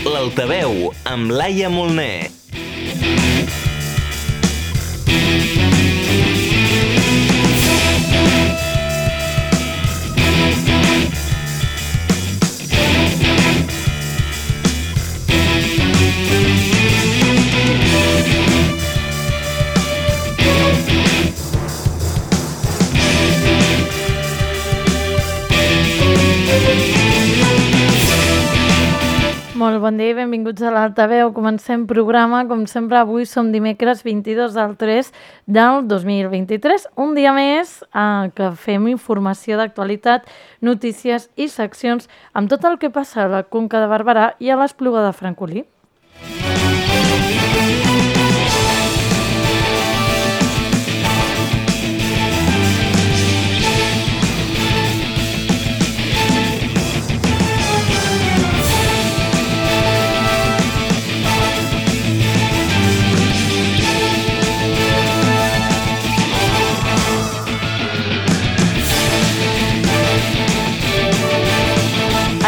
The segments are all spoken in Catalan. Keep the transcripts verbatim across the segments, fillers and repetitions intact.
L'Altaveu, amb Laia Molner. Molt bon dia i benvinguts a l'Altaveu. Comencem programa, com sempre avui som dimecres vint-i-dos del tres del dos mil vint-i-tres. Un dia més eh, que fem informació d'actualitat, notícies i seccions amb tot el que passa a la Conca de Barberà i a l'Espluga de Francolí.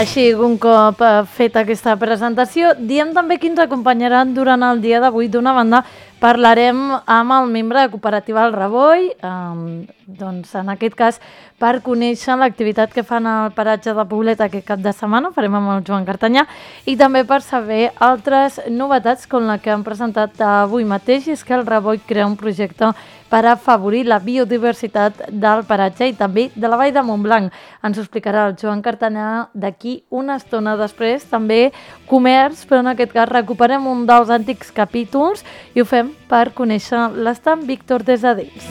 Així, un cop feta aquesta presentació, diem també qui ens acompanyaran durant el dia d'avui. D'una banda, parlarem amb el membre de Cooperativa El Reboi, eh, doncs en aquest cas per conèixer l'activitat que fan al paratge de Poblet aquest cap de setmana, farem amb el Joan Cartanyà, i també per saber altres novetats com la que han presentat avui mateix, i és que El Reboi crea un projecte per afavorir la biodiversitat del paratge i també de la Vall de Montblanc. Ens ho explicarà el Joan Cartanyà d'aquí una estona. Després també comerç, però en aquest cas recuperem un dels antics capítols i ho fem per conèixer l'estant Víctor Desadells.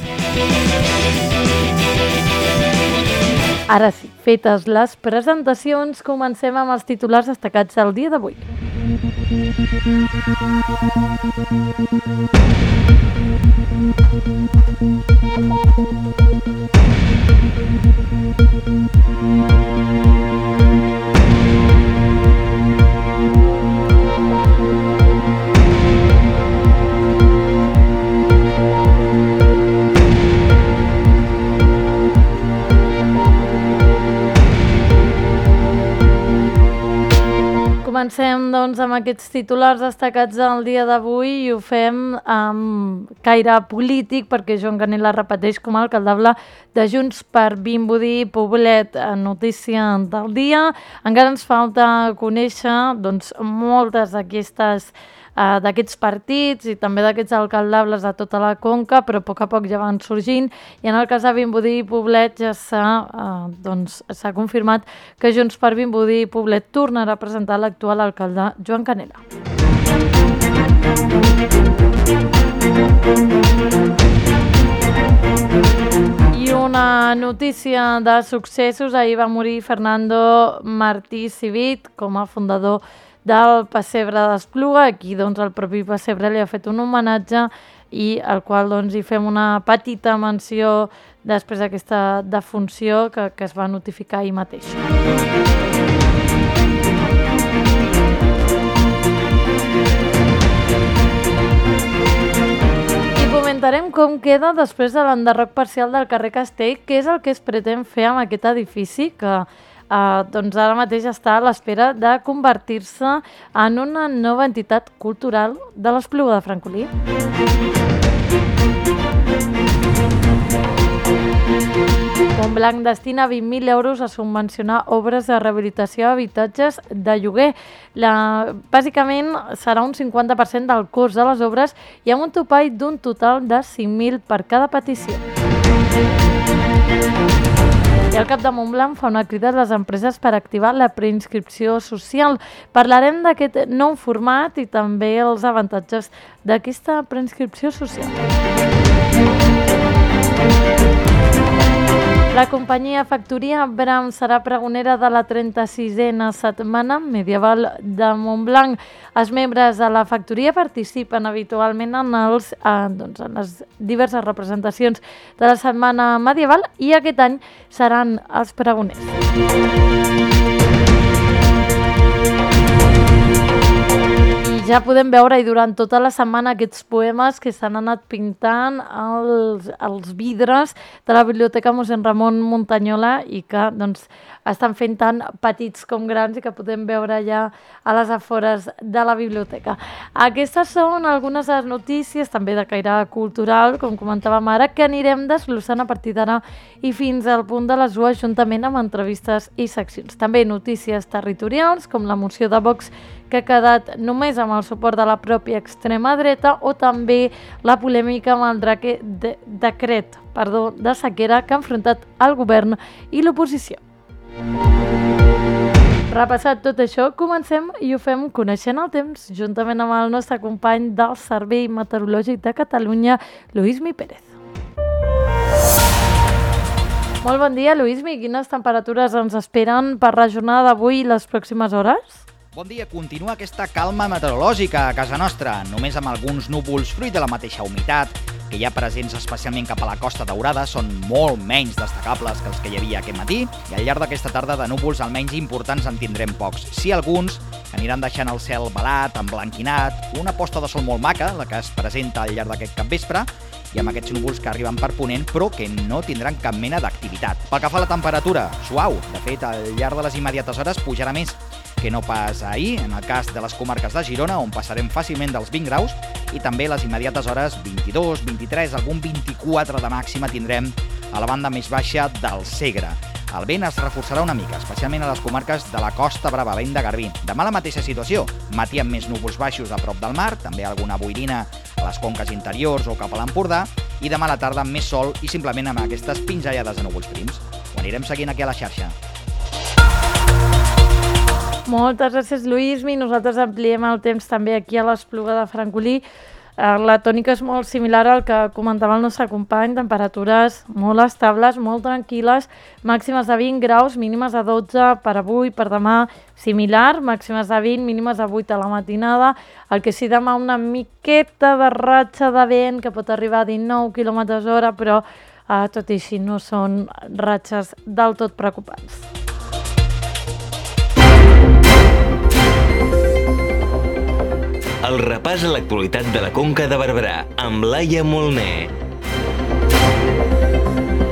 Ara sí, fetes les presentacions, comencem amb els titulars destacats del dia d'avui. Comencem doncs, amb aquests titulars destacats del dia d'avui i ho fem amb caire polític perquè Joan Canela repeteix com a alcaldable de Junts per Vimbodí Poblet. Notícia del dia. Encara ens falta conèixer doncs, moltes d'aquestes Uh, d'aquests partits i també d'aquests alcaldables de tota la Conca, però a poc a poc ja van sorgint, i en el cas de Vimbodí i Poblet ja s'ha uh, doncs, s'ha confirmat que Junts per Vimbodí i Poblet tornarà a presentar l'actual alcalde Joan Canela. I una notícia de successos: ahir va morir Fernando Martí Civit com a fundador del Pessebre d'Espluga. Aquí doncs, el propi Pessebre li ha fet un homenatge i al qual doncs, hi fem una petita menció després d'aquesta defunció que, que es va notificar ahir mateix. I comentarem com queda després de l'enderroc parcial del carrer Castell, què és el que es pretén fer amb aquest edifici que Uh, doncs ara mateix està a l'espera de convertir-se en una nova entitat cultural de l'Espluga de Francolí. Montblanc destina vint mil euros a subvencionar obres de rehabilitació d'habitatges de lloguer. La, bàsicament serà un cinquanta per cent del cost de les obres i amb un topall d'un total de cinc mil per cada petició. I el cap de Montblanc fa una crida a les empreses per activar la preinscripció social. Parlarem d'aquest nou format i també els avantatges d'aquesta preinscripció social. La companyia Factoria Bram serà pregonera de la trenta-sisena setmana medieval de Montblanc. Els membres de la factoria participen habitualment en, els, eh, doncs en les diverses representacions de la setmana medieval i aquest any seran els pregoners. ja podem veure i durant tota la setmana aquests poemes que s'han anat pintant als, als vidres de la Biblioteca mossèn Ramon Muntanyola i que doncs, estan fent tan petits com grans i que podem veure ja a les afores de la biblioteca. Aquestes són algunes de les notícies, també de caire cultural, com comentàvem ara, que anirem desglossant a partir d'ara i fins al punt de les dues, juntament amb entrevistes i seccions. També notícies territorials, com la moció de Vox que ha quedat només amb el suport de la pròpia extrema dreta, o també la polèmica amb el draque de, decret perdó, de sequera que ha enfrontat el govern i l'oposició. Repassat tot això, comencem i ho fem coneixent el temps, juntament amb el nostre company del Servei Meteorològic de Catalunya, Luismi Pérez. Molt bon dia, Luismi. Quines temperatures ens esperen per la jornada d'avui i les pròximes hores? Bon dia, continua aquesta calma meteorològica a casa nostra, només amb alguns núvols fruit de la mateixa humitat, que hi ha presents especialment cap a la Costa Daurada, són molt menys destacables que els que hi havia aquest matí, i al llarg d'aquesta tarda de núvols almenys importants en tindrem pocs. Sí, alguns que aniran deixant el cel velat, emblanquinat, una posta de sol molt maca, la que es presenta al llarg d'aquest capvespre, i amb aquests núvols que arriben per ponent, però que no tindran cap mena d'activitat. Pel que fa a la temperatura, suau. De fet, al llarg de les immediates hores pujarà més que no pas ahir, en el cas de les comarques de Girona, on passarem fàcilment dels vint graus, i també les immediates hores vint-i-dos, vint-i-tres, algun vint-i-quatre de màxima tindrem a la banda més baixa del Segre. El vent es reforçarà una mica, especialment a les comarques de la Costa Brava, vent de Garbí. Demà la mateixa situació, matí amb més núvols baixos a prop del mar, també alguna boirina a les conques interiors o cap a l'Empordà, i demà a la tarda amb més sol i simplement amb aquestes pinzellades de núvols prims. Ho anirem seguint aquí a la xarxa. Moltes gràcies, Luismi. Nosaltres ampliem el temps també aquí a l'Espluga de Francolí. La tònica és molt similar al que comentava el nostre company, temperatures molt estables, molt tranquil·les, màximes de vint graus, mínimes de dotze per avui, per demà similar, màximes de vint, mínimes de vuit a la matinada, el que sí demà una miqueta de ratxa de vent que pot arribar a dinou quilòmetres hora, però eh, tot i així no són ratxes del tot preocupants. El repàs a l'actualitat de la Conca de Barberà amb Laia Molné.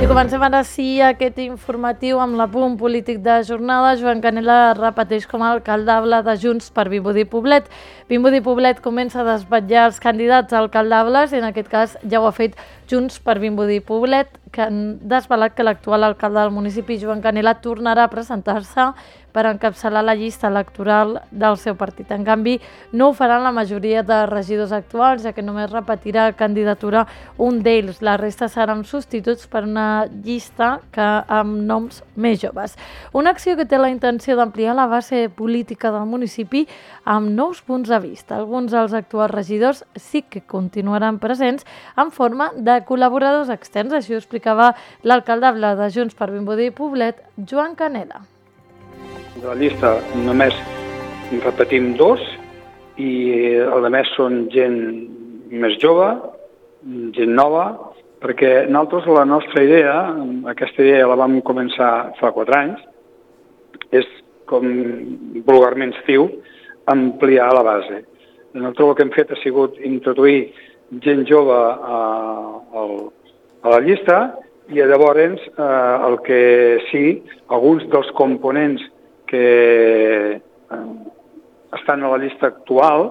I comencem ara sí aquest informatiu amb l'apunt polític de jornada. Joan Canela repeteix com a alcaldable de Junts per Vimbodí Poblet. Vimbodí Poblet comença a desvetllar els candidats a alcaldables i en aquest cas ja ho ha fet Junts per Vimbodí Poblet, que han desvelat que l'actual alcalde del municipi, Joan Canela, tornarà a presentar-se per encapçalar la llista electoral del seu partit. En canvi, no ho faran la majoria de regidors actuals, ja que només repetirà candidatura un d'ells. La resta seran substituts per una llista que amb noms més joves. Una acció que té la intenció d'ampliar la base política del municipi amb nous punts de vista. Alguns dels actuals regidors sí que continuaran presents en forma de col·laboradors externs. Així ho explicava l'alcaldable de Junts per Vimbodí Poblet, Joan Canela. De la llista només repetim dos i el de més són gent més jove, gent nova, perquè nosaltres la nostra idea, aquesta idea la vam començar fa quatre anys, és, com vulgarment es diu, ampliar la base. Nosaltres el que hem fet ha sigut introduir gent jove a, a, a la llista i llavors eh, el que sí, alguns dels components que estan a la llista actual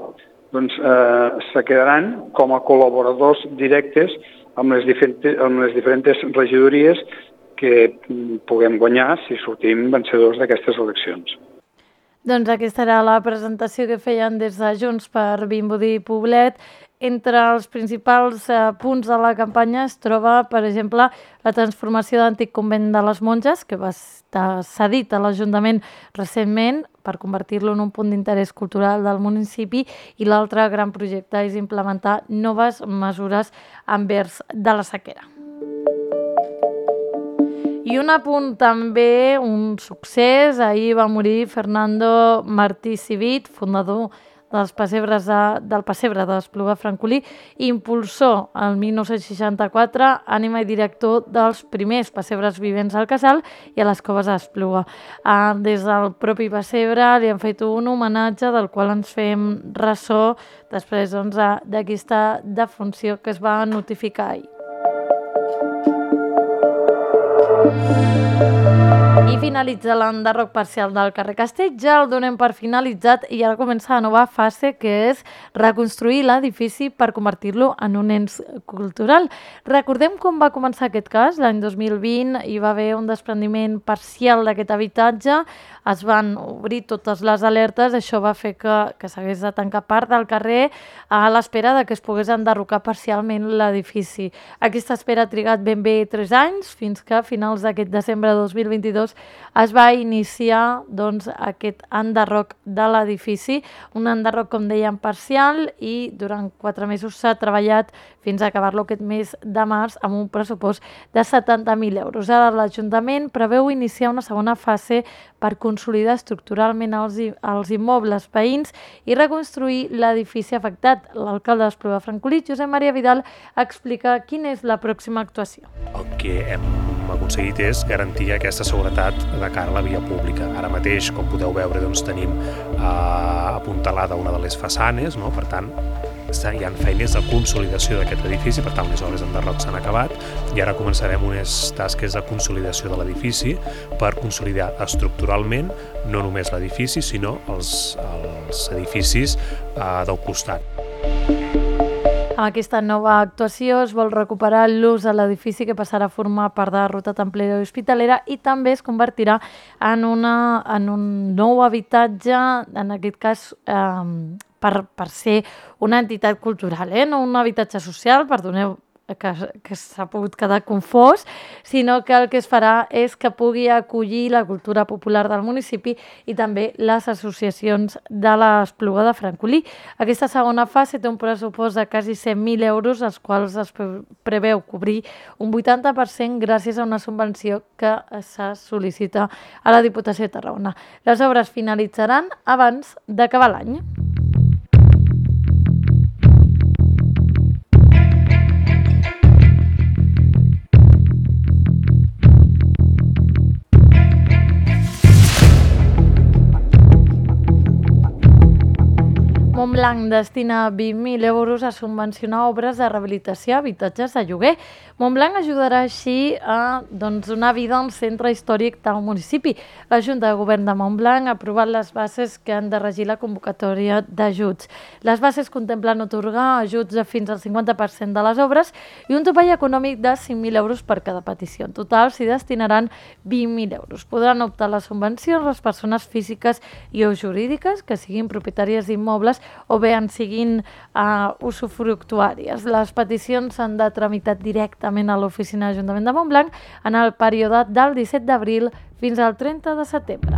doncs, eh, se quedaran com a col·laboradors directes amb les, diferents, amb les diferents regidories que puguem guanyar si sortim vencedors d'aquestes eleccions. Doncs aquesta era la presentació que feien des de Junts per Vimbodí Poblet. Entre els principals eh, punts de la campanya es troba, per exemple, la transformació d'antic convent de les monges, que va estar cedit a l'Ajuntament recentment per convertir-lo en un punt d'interès cultural del municipi, i l'altre gran projecte és implementar noves mesures envers de la sequera. I un apunt també, un succés, ahir va morir Fernando Martí Civit, fundador dels pessebres de, del pessebre de l'Espluga Francolí, impulsor el mil nou-cents seixanta-quatre, ànima i director dels primers pessebres vivents al Casal i a les Coves d'Espluga. Eh, des del propi pessebre li han fet un homenatge del qual ens fem ressò després doncs, d'aquesta defunció que es va notificar ahir. I finalitza l'enderroc parcial del carrer Castell, ja el donem per finalitzat i ara comença la nova fase, que és reconstruir l'edifici per convertir-lo en un ens cultural. Recordem com va començar aquest cas, l'any dos mil vint hi va haver un desprendiment parcial d'aquest habitatge, es van obrir totes les alertes, això va fer que, que s'hagués de tancar part del carrer a l'espera de que es pogués enderrocar parcialment l'edifici. Aquesta espera ha trigat ben bé tres anys, fins que a finals d'aquest desembre de dos mil vint-i-dos es va iniciar doncs, aquest enderroc de l'edifici, un enderroc, com dèiem, parcial, i durant quatre mesos s'ha treballat fins a acabar-lo aquest mes de març amb un pressupost de setanta mil euros. Ara l'Ajuntament preveu iniciar una segona fase per consolidar estructuralment els, els immobles veïns i reconstruir l'edifici afectat. L'alcalde d'Espluga Francolí, Josep Maria Vidal, explica quina és la pròxima actuació. El que hem aconseguit és garantir aquesta seguretat de cara a la via pública. Ara mateix, com podeu veure, doncs, tenim eh, apuntalada una de les façanes, no? Per tant, hi ha feines de consolidació d'aquest edifici, per tant, les obres d'enderroc s'han acabat i ara començarem unes tasques de consolidació de l'edifici per consolidar estructuralment no només l'edifici, sinó els, els edificis eh, del costat. Amb aquesta nova actuació es vol recuperar l'ús a l'edifici, que passarà a formar part de la ruta templera i hospitalera, i també es convertirà en, una, en un nou habitatge, en aquest cas eh, per, per ser una entitat cultural, eh? No un habitatge social, perdoneu que, que s'ha pogut quedar confós, sinó que el que es farà és que pugui acollir la cultura popular del municipi i també les associacions de l'Espluga de Francolí. Aquesta segona fase té un pressupost de quasi cent mil euros, els quals es preveu cobrir un vuitanta per cent gràcies a una subvenció que se sol·licita a la Diputació de Tarragona. Les obres finalitzaran abans d'acabar l'any. Montblanc destina vint mil euros a subvencionar obres de rehabilitació a habitatges de lloguer. Montblanc ajudarà així a doncs, donar vida al centre històric del municipi. La Junta de Govern de Montblanc ha aprovat les bases que han de regir la convocatòria d'ajuts. Les bases contemplen atorgar ajuts de fins al cinquanta per cent de les obres i un topall econòmic de cinc mil euros per cada petició. En total s'hi destinaran vint mil euros. Podran optar a les subvencions les persones físiques i o jurídiques que siguin propietàries d'immobles o bé en siguin uh, usufructuàries. Les peticions s'han de tramitar directament a l'oficina de l'Ajuntament de Montblanc en el període del disset d'abril fins al trenta de setembre.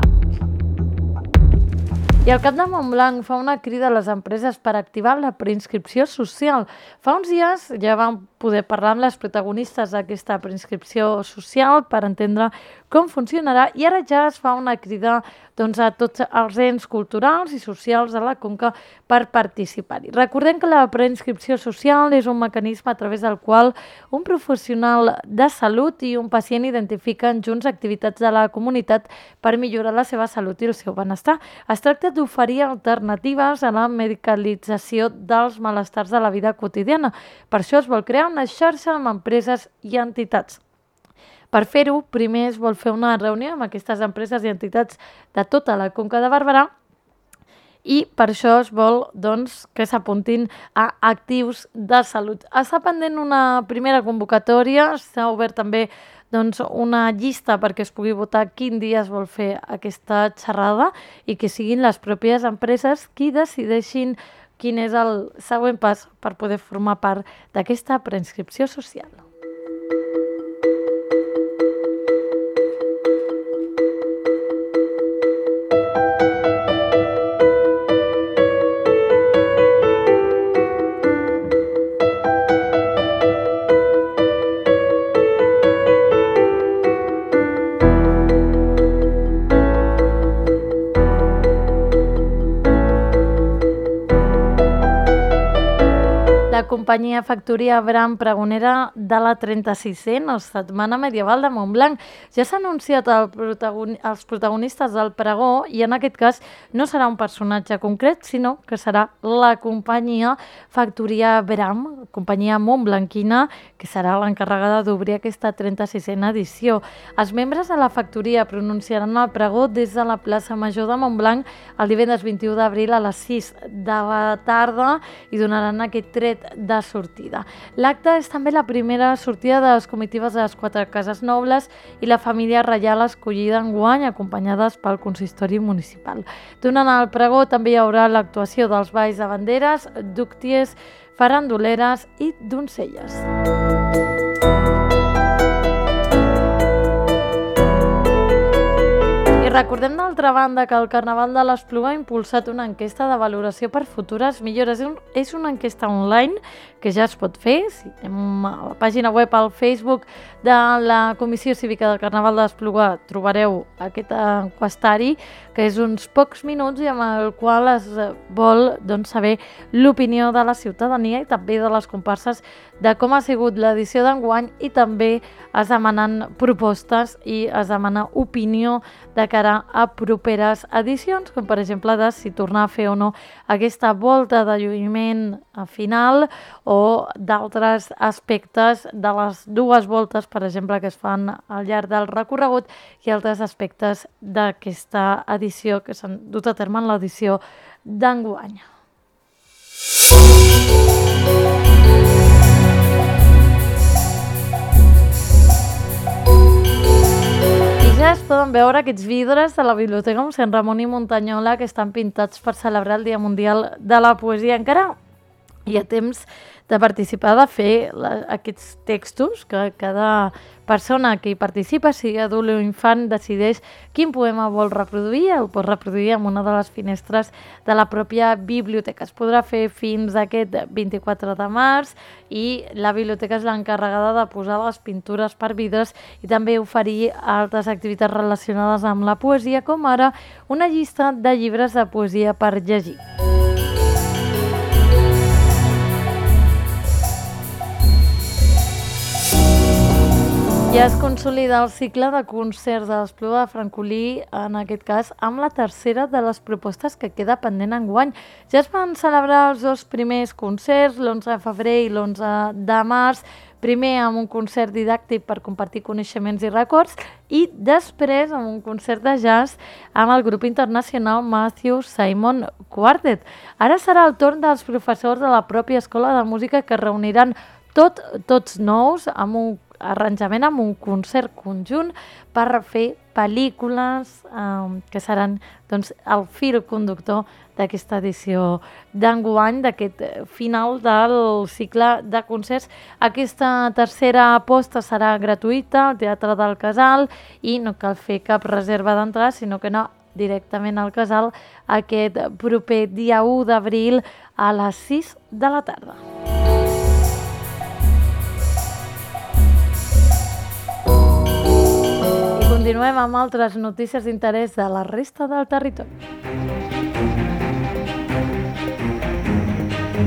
I el cap de Montblanc fa una crida a les empreses per activar la preinscripció social. Fa uns dies ja vam poder parlar amb les protagonistes d'aquesta preinscripció social per entendre com funcionarà i ara ja es fa una crida doncs, a tots els ens culturals i socials de la Conca per participar-hi. Recordem que la preinscripció social és un mecanisme a través del qual un professional de salut i un pacient identifiquen junts activitats de la comunitat per millorar la seva salut i el seu benestar. Es tracta d'oferir alternatives a la medicalització dels malestars de la vida quotidiana. Per això es vol crear una xarxa amb empreses i entitats. Per fer-ho, primer es vol fer una reunió amb aquestes empreses i entitats de tota la Conca de Barberà i per això es vol doncs, que s'apuntin a actius de salut. Està pendent una primera convocatòria, s'ha obert també doncs, una llista perquè es pugui votar quin dia es vol fer aquesta xerrada i que siguin les pròpies empreses qui decideixin quin és el següent pas per poder formar part d'aquesta preinscripció social. companyia Factoria Bram pregonera de la trenta-sisena Setmana Medieval de Montblanc. Ja s'ha anunciat el protagoni- els protagonistes del pregó i en aquest cas no serà un personatge concret, sinó que serà la companyia Factoria Bram, companyia montblanquina, que serà l'encarregada d'obrir aquesta trenta-sisena edició. Els membres de la factoria pronunciaran el pregó des de la plaça Major de Montblanc el divendres vint-i-u d'abril a les sis de la tarda i donaran aquest tret de sortida. L'acte és també la primera sortida de les comitives de les quatre cases nobles i la família reial escollida enguany, acompanyades pel consistori municipal. Durant el pregó també hi haurà l'actuació dels balls de banderes, dúcties, farandoleres i doncelles. Recordem d'altra banda que el Carnaval de l'Espluga ha impulsat una enquesta de valoració per futures millores. És una enquesta online que ja es pot fer. Si anem a la pàgina web, al Facebook de la Comissió Cívica del Carnaval de l'Espluga, trobareu aquest enquestari, que és uns pocs minuts i amb el qual es vol doncs, saber l'opinió de la ciutadania i també de les comparses de com ha sigut l'edició d'enguany, i també es demanen propostes i es demana opinió de cara a properes edicions, com per exemple de si tornar a fer o no aquesta volta de lluïment final o d'altres aspectes de les dues voltes, per exemple, que es fan al llarg del recorregut, i altres aspectes d'aquesta edició que s'han dut a terme en l'edició d'enguany. Ja es poden veure aquests vidres de la Biblioteca Mossèn Ramon i Muntanyola que estan pintats per celebrar el Dia Mundial de la Poesia. Encara hi ha temps de participar, de fer la, aquests textos, que cada persona que hi participa, sigui adult o infant, decideix quin poema vol reproduir, el pot reproduir en una de les finestres de la pròpia biblioteca. Es podrà fer fins aquest vint-i-quatre de març i la biblioteca és l'encarregada de posar les pintures per vidres i també oferir altres activitats relacionades amb la poesia, com ara una llista de llibres de poesia per llegir. Ja es consolida el cicle de concerts de l'Espluga de Francolí, en aquest cas, amb la tercera de les propostes que queda pendent enguany. Ja es van celebrar els dos primers concerts, l'onze de febrer i l'onze de març, primer amb un concert didàctic per compartir coneixements i records i després amb un concert de jazz amb el grup internacional Matthew Simon Quartet. Ara serà el torn dels professors de la pròpia escola de música que reuniran tot, tots nous amb un arranjament, amb un concert conjunt per fer pel·lícules eh, que seran doncs, el fil conductor d'aquesta edició d'enguany, d'aquest final del cicle de concerts. Aquesta tercera aposta serà gratuïta al Teatre del Casal i no cal fer cap reserva d'entrada, sinó que no directament al Casal aquest proper dia u d'abril a les sis de la tarda. Continuem amb altres notícies d'interès de la resta del territori.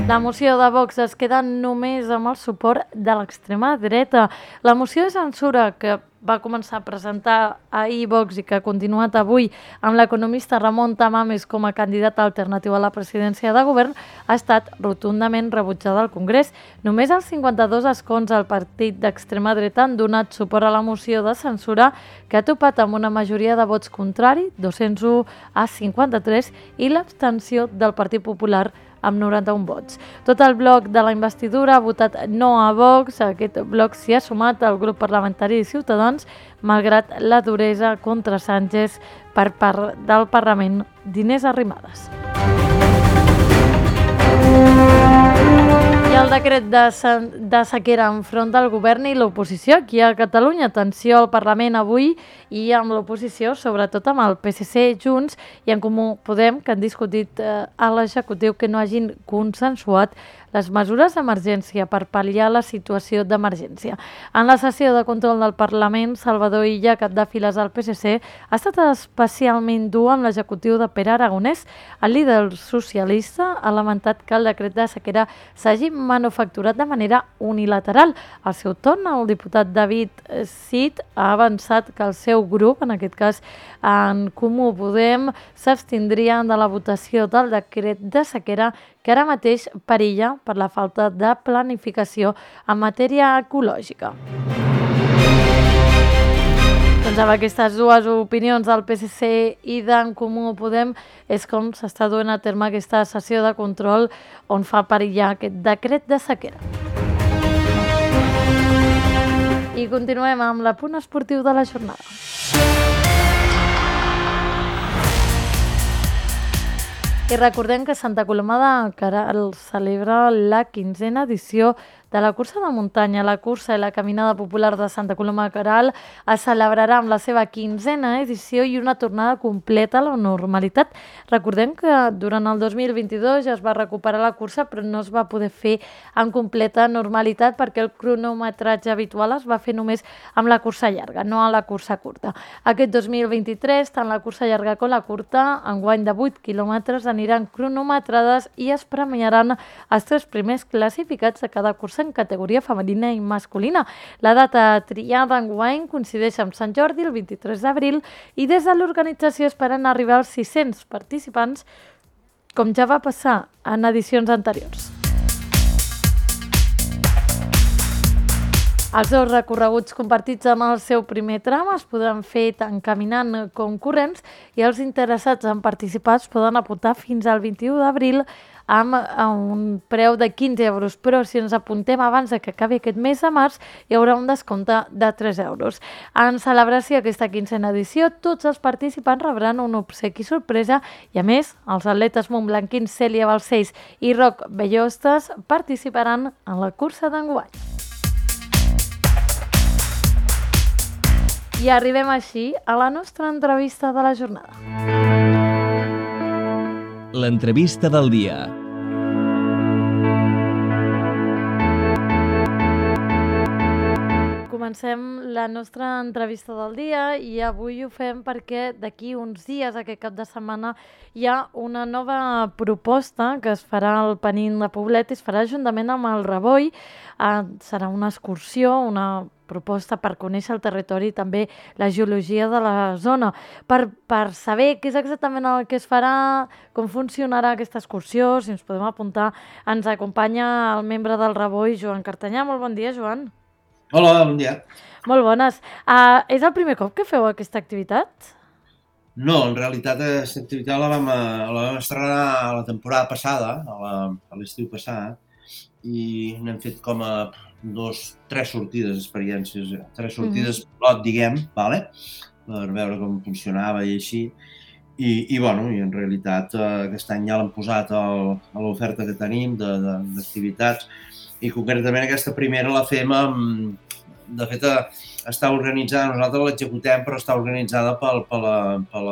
La moció de Vox es queda només amb el suport de l'extrema dreta. La moció de censura que va començar a presentar ahir Vox i que ha continuat avui amb l'economista Ramon Tamames com a candidat alternatiu a la presidència de govern ha estat rotundament rebutjada al Congrés. Només els cinquanta-dos escons del partit d'extrema dreta han donat suport a la moció de censura, que ha topat amb una majoria de vots contrari, dos-cents u a cinquanta-tres, i l'abstenció del Partit Popular amb noranta-un vots. Tot el bloc de la investidura ha votat no a Vox. A aquest bloc s'hi ha sumat el grup parlamentari de Ciutadans, malgrat la duresa contra Sánchez per part del Parlament d'Inés Arrimadas. I el decret de, de sequera enfront del govern i l'oposició aquí a Catalunya. Atenció al Parlament avui i amb l'oposició, sobretot amb el P S C, Junts i en Comú Podem, que han discutit eh, a l'executiu que no hagin consensuat les mesures d'emergència per pal·liar la situació d'emergència. En la sessió de control del Parlament, Salvador Illa, cap de files del P S C, ha estat especialment dur amb l'executiu de Pere Aragonès. El líder socialista ha lamentat que el decret de sequera s'hagi manufacturat de manera unilateral. Al seu torn, el diputat David Cid ha avançat que el seu grup, en aquest cas en Comú Podem, s'abstindrien de la votació del decret de sequera que ara mateix perilla per la falta de planificació en matèria ecològica. Doncs amb aquestes dues opinions del P S C i d'en Comú Podem és com s'està duent a terme aquesta sessió de control on fa perillar aquest decret de sequera. I continuem amb l'apunt esportiu de la jornada. I recordem que Santa Coloma de Queralt celebra la quinzena edició de la cursa de muntanya. La cursa i la caminada popular de Santa Coloma de Queralt es celebrarà amb la seva quinzena edició i una tornada completa a la normalitat. Recordem que durant el dos mil vint-i-dos ja es va recuperar la cursa, però no es va poder fer en completa normalitat perquè el cronometratge habitual es va fer només amb la cursa llarga, no a la cursa curta. Aquest dos mil vint-i-tres, tant la cursa llarga com la curta, enguany de vuit quilòmetres, aniran cronometrades i es premiaran els tres primers classificats de cada cursa en categoria femenina i masculina. La data triada enguany coincideix amb Sant Jordi, el vint-i-tres d'abril, i des de l'organització esperen arribar als sis-cents participants, com ja va passar en edicions anteriors. Els dos recorreguts compartits en el seu primer tram es podran fer tant caminant com corrents i els interessats en participar es poden apuntar fins al vint-i-u d'abril amb un preu de quinze euros, però si ens apuntem abans de que acabi aquest mes de març hi haurà un descompte de tres euros. En celebració d'aquesta quinzena edició, tots els participants rebran un obsequi sorpresa i, a més, els atletes montblanquins Cèlia Balcells i Roc Bellostes participaran en la cursa d'enguany. I arribem així a la nostra entrevista de la jornada. L'entrevista del dia. Comencem la nostra entrevista del dia i avui ho fem perquè d'aquí uns dies, aquest cap de setmana, hi ha una nova proposta que es farà al Penín de Poblet i es farà juntament amb el Ravoi. Eh, serà una excursió, una proposta per conèixer el territori i també la geologia de la zona. Per, per saber què és exactament el que es farà, com funcionarà aquesta excursió, si ens podem apuntar, ens acompanya el membre del Ravoi, Joan Cartanyà. Molt bon dia, Joan. Hola, bon dia. Molt bones. Uh, és el primer cop que feu aquesta activitat? No, en realitat aquesta activitat la vam, la vam estrenar la temporada passada, a l'estiu passat, i n'hem fet com a dos, tres sortides, experiències, tres sortides mm-hmm. pilot, diguem, vale? Per veure com funcionava i així. I, i bueno, i en realitat aquest any ja l'hem posat al, a l'oferta que tenim d'activitats i concretament aquesta primera la fem amb, de fet està organitzada, nosaltres l'executem però està organitzada pel, pel, pel,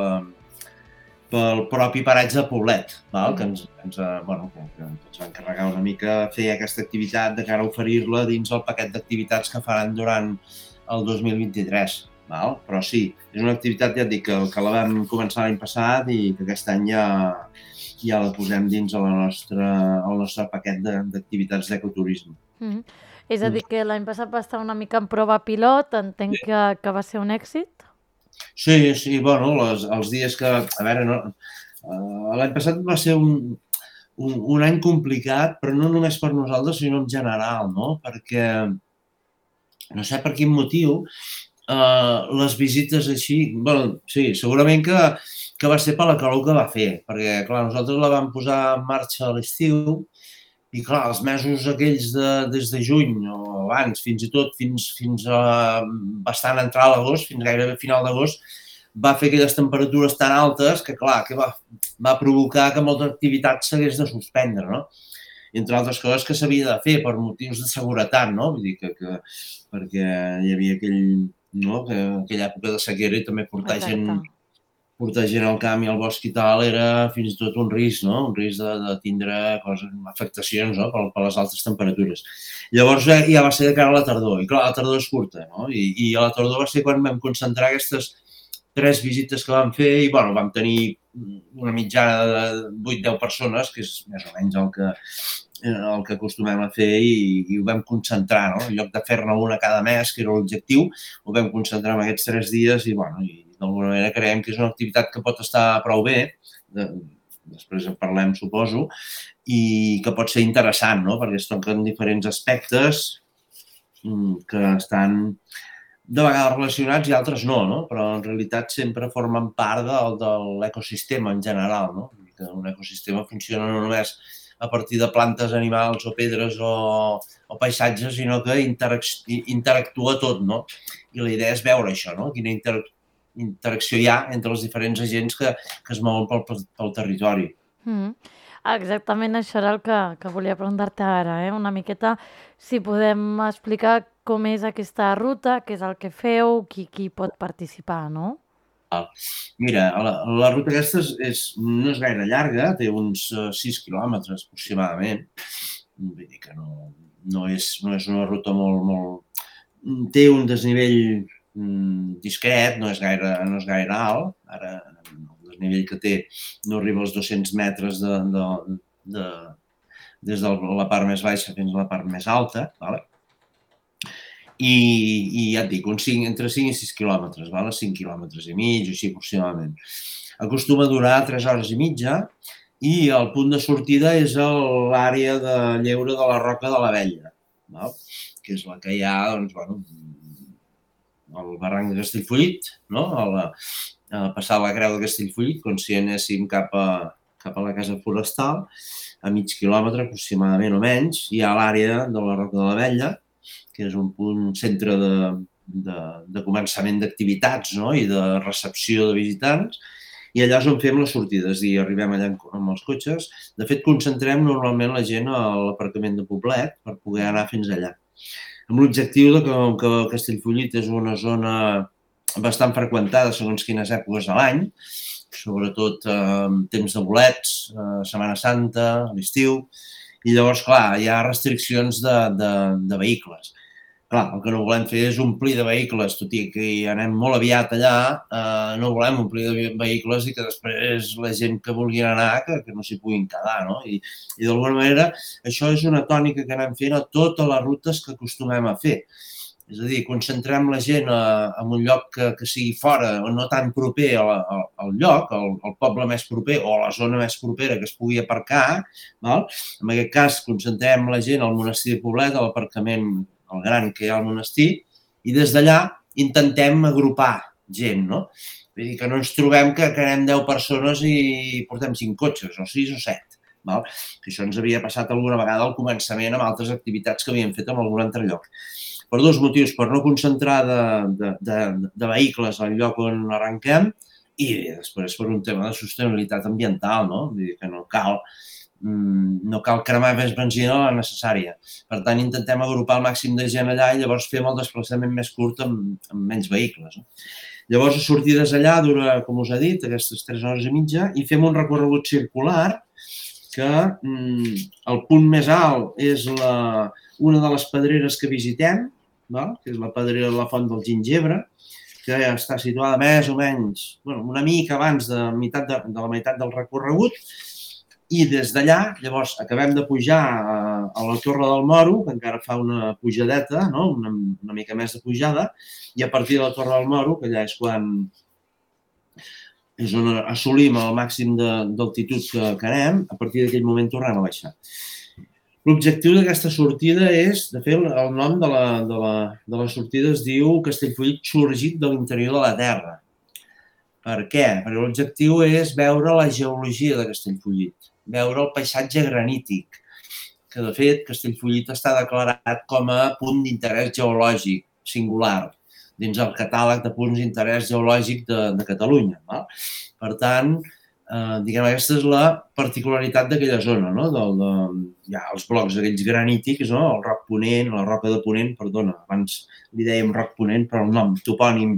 pel propi paratge de Poblet, val? Mm. que, ens, ens, bueno, que, que ens va encarregar una mica fer aquesta activitat de cara a oferir-la dins el paquet d'activitats que faran durant el dos mil vint-i-tres. Val? Però sí, és una activitat, ja et dic, que, que la vam començar l'any passat i que aquest any ja, ja la posem dins el nostre, el nostre paquet d'activitats d'ecoturisme. Mm. És a dir, que l'any passat va estar una mica en prova pilot, entenc que, que va ser un èxit? Sí, sí, bueno, les, els dies que... A veure, no, uh, l'any passat va ser un, un, un any complicat, però no només per nosaltres, sinó en general, no? Perquè, no sé per quin motiu, uh, les visites així... Bueno, sí, segurament que, que va ser per la calor que va fer, perquè, clar, nosaltres la vam posar en marxa a l'estiu i, clar, els mesos aquells de, des de juny o abans, fins i tot fins, fins a bastant entrar a l'agost, fins gairebé a final d'agost, va fer aquelles temperatures tan altes que, clar, que va, va provocar que molta activitat s'hagués de suspendre, no? I, entre altres coses, que s'havia de fer per motius de seguretat, no? Vull dir que, que perquè hi havia aquell, no? que, aquella època de sequera i també portar Exacte. gent portar gent al camp i al bosc i tal era fins i tot un risc, no? Un risc de, de tindre coses, afectacions, no? Per, per les altes temperatures. Llavors ja va ser de cara a la tardor, i clar, la tardor és curta, no? I, i a la tardor va ser quan vam concentrar aquestes tres visites que vam fer i, bueno, vam tenir una mitjana de vuit a deu persones, que és més o menys el que, el que acostumem a fer i, i ho vam concentrar, no? En lloc de fer-ne una cada mes, que era l'objectiu, ho vam concentrar en aquests tres dies i, bueno, i d'alguna manera creiem que és una activitat que pot estar prou bé, de, després en parlem, suposo, i que pot ser interessant, no? Perquè es toquen diferents aspectes que estan de vegades relacionats i altres no, no? Però en realitat sempre formen part del, de l'ecosistema en general, no? Que un ecosistema funciona no només a partir de plantes, animals o pedres o, o paisatges, sinó que interac- interactua tot, no? I la idea és veure això, no? Quina interacció interacció hi ha entre els diferents agents que, que es mouen pel, pel territori. Mm. Exactament això era el que, que volia preguntar-te ara, eh? Una miqueta si podem explicar com és aquesta ruta, què és el que feu, qui, qui pot participar, no? Mira, la, la ruta aquesta és, és, no és gaire llarga, té uns sis quilòmetres aproximadament, vull dir que no, no, és, no és una ruta molt, molt... Té un desnivell discret, no és gaire, no és gaire alt, ara el desnivell que té no arriba als dos-cents metres de, de, de, des de la part més baixa fins a la part més alta, vale? I, i ja et dic, un cinc, entre cinc i sis quilòmetres, vale? cinc quilòmetres i mig, o així aproximadament. Acostuma a durar tres hores i mitja i el punt de sortida és l'àrea de lleure de la Roca de l'Abella, val? Que és la que hi ha, doncs, bueno, al barranc de Castellfollit, no? a, la, a passar la creu de Castellfollit, com si anéssim cap a, cap a la casa forestal, a mig quilòmetre aproximadament o menys, hi ha l'àrea de la Roca de l'Abella, que és un punt, un centre de, de, de començament d'activitats, no? I de recepció de visitants, i allà és on fem les sortides, i arribem allà amb els cotxes. De fet, concentrem normalment la gent a l'aparcament de Poblet per poder anar fins allà. Amb l'objectiu que, que Castellfollit és una zona bastant freqüentada segons quines èpoques de l'any, sobretot en eh, temps de bolets, eh, Setmana Santa, l'estiu, i llavors, clar, hi ha restriccions de, de, de vehicles. Clar, el que no volem fer és omplir de vehicles, tot i que anem molt aviat allà, eh, no volem omplir de vehicles i que després la gent que vulgui anar, que, que no s'hi puguin quedar, no? I, i d'alguna manera això és una tònica que anem fent a totes les rutes que acostumem a fer. És a dir, concentrem la gent a, a un lloc que, que sigui fora o no tan proper al, al lloc, al, al poble més proper o a la zona més propera que es pugui aparcar, val? En aquest cas, concentrem la gent al monestir de Poblet, a l'aparcament el gran que hi ha al monestir, i des d'allà intentem agrupar gent, no? Vull dir que no ens trobem que, que anem deu persones i portem cinc cotxes, o sis o set. Val? Que això ens havia passat alguna vegada al començament amb altres activitats que havíem fet en algun altre lloc. Per dos motius, per no concentrar de, de, de, de vehicles al lloc on arrenquem i després per un tema de sostenibilitat ambiental, no? Vull dir que no cal... no cal cremar més benzina de la necessària. Per tant, intentem agrupar el màxim de gent allà i llavors fem el desplaçament més curt amb, amb menys vehicles. No? Llavors, les sortides allà dura, com us he dit, aquestes tres hores i mitja i fem un recorregut circular que mm, el punt més alt és la, una de les pedreres que visitem, val? Que és la pedrera de la Font del Gingebre, que està situada més o menys, bueno, una mica abans de, meitat de, de la meitat del recorregut. I des d'allà, llavors, acabem de pujar a, a la Torre del Moro, que encara fa una pujadeta, no? una, una mica més de pujada, i a partir de la Torre del Moro, que allà és quan és on assolim el màxim d'altitud que, que anem, a partir d'aquell moment tornem a baixar. L'objectiu d'aquesta sortida és, de fet, el nom de la, de la, de la sortida es diu Castellfollit sorgit de l'interior de la Terra. Per què? Perquè l'objectiu és veure la geologia de Castellfollit, veure el paisatge granític, que de fet Castellfollit està declarat com a punt d'interès geològic singular dins el catàleg de punts d'interès geològic de, de Catalunya. No? Per tant, eh, diguem, aquesta és la particularitat d'aquella zona, no? Del, de, hi ha els blocs aquells granítics, no? El roc ponent, la roca de ponent, perdona, abans li dèiem roc ponent, però el nom topònim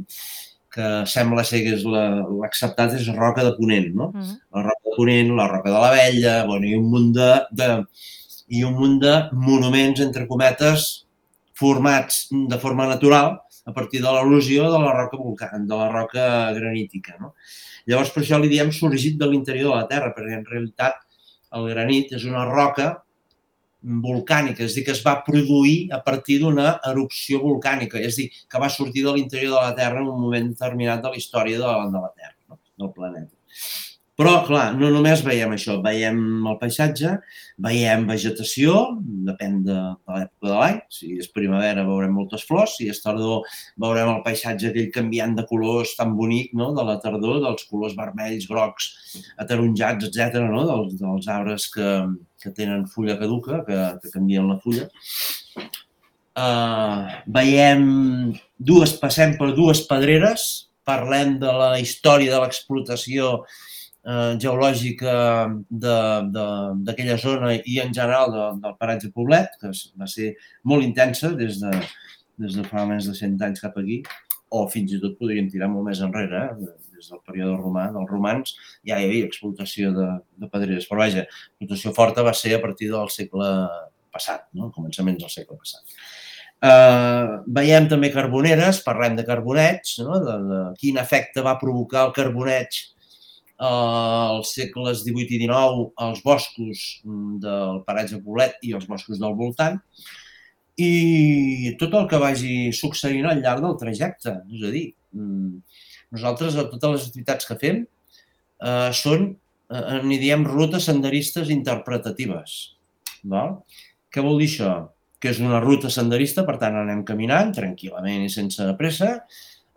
que sembla ser que és l'acceptat és Roca de Ponent, no? Mm-hmm. La Roca de Ponent, la Roca de l'Abella, bueno, i un munt de, de, i un munt de monuments, entre cometes, formats de forma natural a partir de l'erosió de la roca volcànica, de la roca granítica, no? Llavors, per això li diem sorgit de l'interior de la Terra, perquè en realitat el granit és una roca volcànica, és a dir, que es va produir a partir d'una erupció volcànica, és a dir, que va sortir de l'interior de la Terra en un moment determinat de la història de la, de la Terra, no? Del planeta. Però, clar, no només veiem això, veiem el paisatge, veiem vegetació, depèn de, de l'època de l'any, si és primavera veurem moltes flors, si és tardor veurem el paisatge aquell canviant de colors tan bonic, no? De la tardor, dels colors vermells, grocs, ataronjats, etcètera, no? dels, dels arbres que, que tenen fulla caduca, que, que canvien la fulla. Uh, veiem dues, passem per dues pedreres, parlem de la història de l'explotació Eh, geològica d'aquella zona i en general de, del paratge Poblet, que va ser molt intensa des de, des de fa més de cent anys cap aquí, o fins i tot podríem tirar molt més enrere, eh? Des del període romà, dels romans, ja hi havia explotació de, de pedreres, però vaja, l'explotació forta va ser a partir del segle passat, no? Començaments del segle passat. Uh, veiem també carboneres, parlem de carbonets, no? de, de quin efecte va provocar el carboneig als segles divuit i dinou als boscos del paratge Poblet i els boscos del voltant i tot el que vagi succeint al llarg del trajecte. És a dir, nosaltres a totes les activitats que fem eh, són, eh, n'hi diem rutes senderistes interpretatives. Val? Què vol dir això? Que és una ruta senderista, per tant anem caminant tranquil·lament i sense pressa,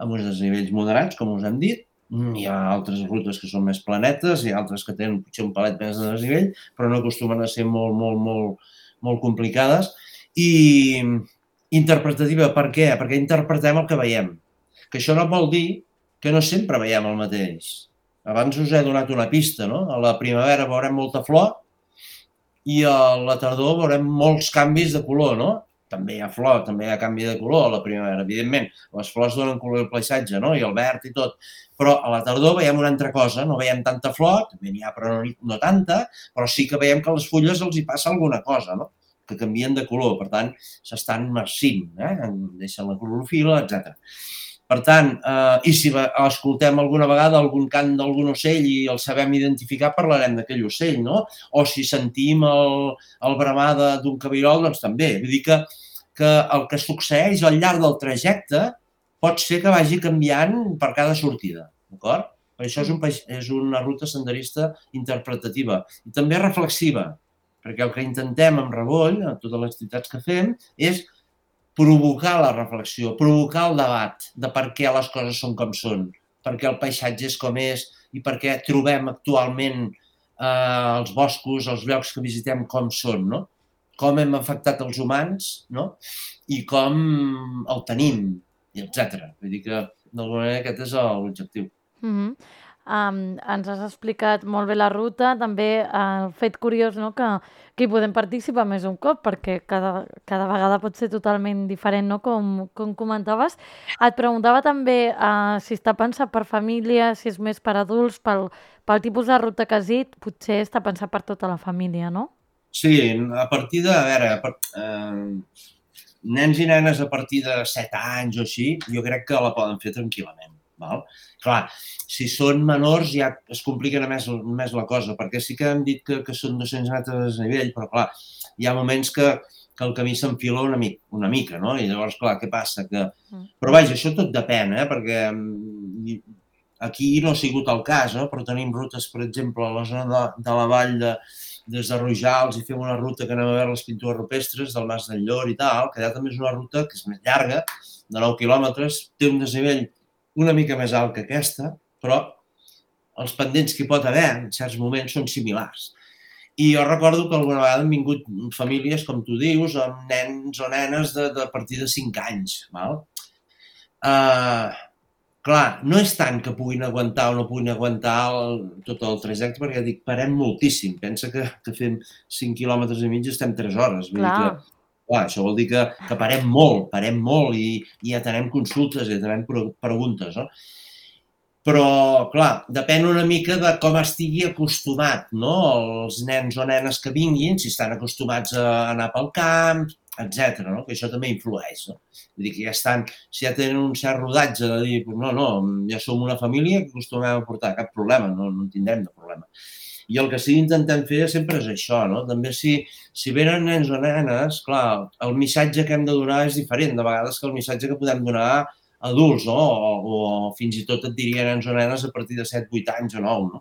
amb uns desnivells moderats, com us hem dit. Hi ha altres rutes que són més planetes, hi ha altres que tenen potser un palet més de desnivell, però no acostumen a ser molt, molt, molt, molt complicades. I interpretativa, per què? Perquè interpretem el que veiem. Que això no vol dir que no sempre veiem el mateix. Abans us he donat una pista, no? A la primavera veurem molta flor i a la tardor veurem molts canvis de color, no? També hi ha flor, també hi ha canvi de color a la primavera, evidentment. Les flors donen color al paisatge, no? I el verd i tot. Però a la tardor veiem una altra cosa, no veiem tanta flor, també n'hi ha però no, no tanta, però sí que veiem que a les fulles els hi passa alguna cosa, no? Que canvien de color, per tant, s'estan marcint, eh? Deixen la clorofila, etcètera. Per tant, eh, i si escoltem alguna vegada algun cant d'algun ocell i el sabem identificar, parlarem d'aquell ocell, no? O si sentim el, el bramar d'un cabirol, doncs també. Vull dir que, que el que succeeix al llarg del trajecte pot ser que vagi canviant per cada sortida, d'acord? Per això és, un, és una ruta senderista interpretativa i també reflexiva, perquè el que intentem amb Revoll, en totes les activitats que fem, és provocar la reflexió, provocar el debat de per què les coses són com són, per què el paisatge és com és i per què trobem actualment eh, els boscos, els llocs que visitem com són, no? Com hem afectat els humans, no? I com el tenim, etcètera. Vull dir que, d'alguna manera, aquest és l'objectiu. Mm-hmm. Um, ens has explicat molt bé la ruta, també el fet curiós, no? que, que hi podem participar més un cop, perquè cada, cada vegada pot ser totalment diferent, no? com, com comentaves. Et preguntava també uh, si està pensat per família, si és més per adults, pel, pel tipus de ruta que has dit, potser està pensat per tota la família, no? Sí, a partir de, a veure, per, eh, nens i nenes a partir de set anys o així, jo crec que la poden fer tranquil·lament. Val? Clar, si són menors ja es complica més, més la cosa, perquè sí que hem dit que, que són dos-cents metres de desnivell, però clar, hi ha moments que, que el camí s'enfila una, mica, una mica, no? I llavors, clar, què passa? Que... Però vaja, això tot depèn, eh? Perquè aquí no ha sigut el cas, eh? Però tenim rutes, per exemple, a la zona de, de la vall de, des de Rojals i fem una ruta que anem a veure les pintures rupestres del Mas del Llor i tal, que allà també és una ruta que és més llarga, de nou quilòmetres, té un desnivell una mica més alt que aquesta, però els pendents que hi pot haver en certs moments són similars. I jo recordo que alguna vegada han vingut famílies, com tu dius, amb nens o nenes de, de a partir de cinc anys. Val? Uh, clar, no és tant que puguin aguantar o no puguin aguantar el, tot el trajecte, perquè dic, parem moltíssim. Pensa que, que fem cinc quilòmetres i mig i estem tres hores. Vull dir que, clar, això vol dir que, que parem molt, parem molt i, i atenem consultes i atenem preguntes. No? Però, clar, depèn una mica de com estigui acostumat, no? Els nens o nenes que vinguin, si estan acostumats a anar pel camp, etcètera, no? Que això també influeix, no? Vull dir que ja estan, si ja tenen un cert rodatge de dir, no, no, ja som una família que acostumem a portar, cap problema, no, no en tindrem de problema. I el que sí que intentem fer sempre és això, no? També si, si venen nens o nenes, clar, el missatge que hem de donar és diferent, de vegades que el missatge que podem donar adults, no? O, o fins i tot et diria nens o nenes a partir de set vuit anys o nou, no?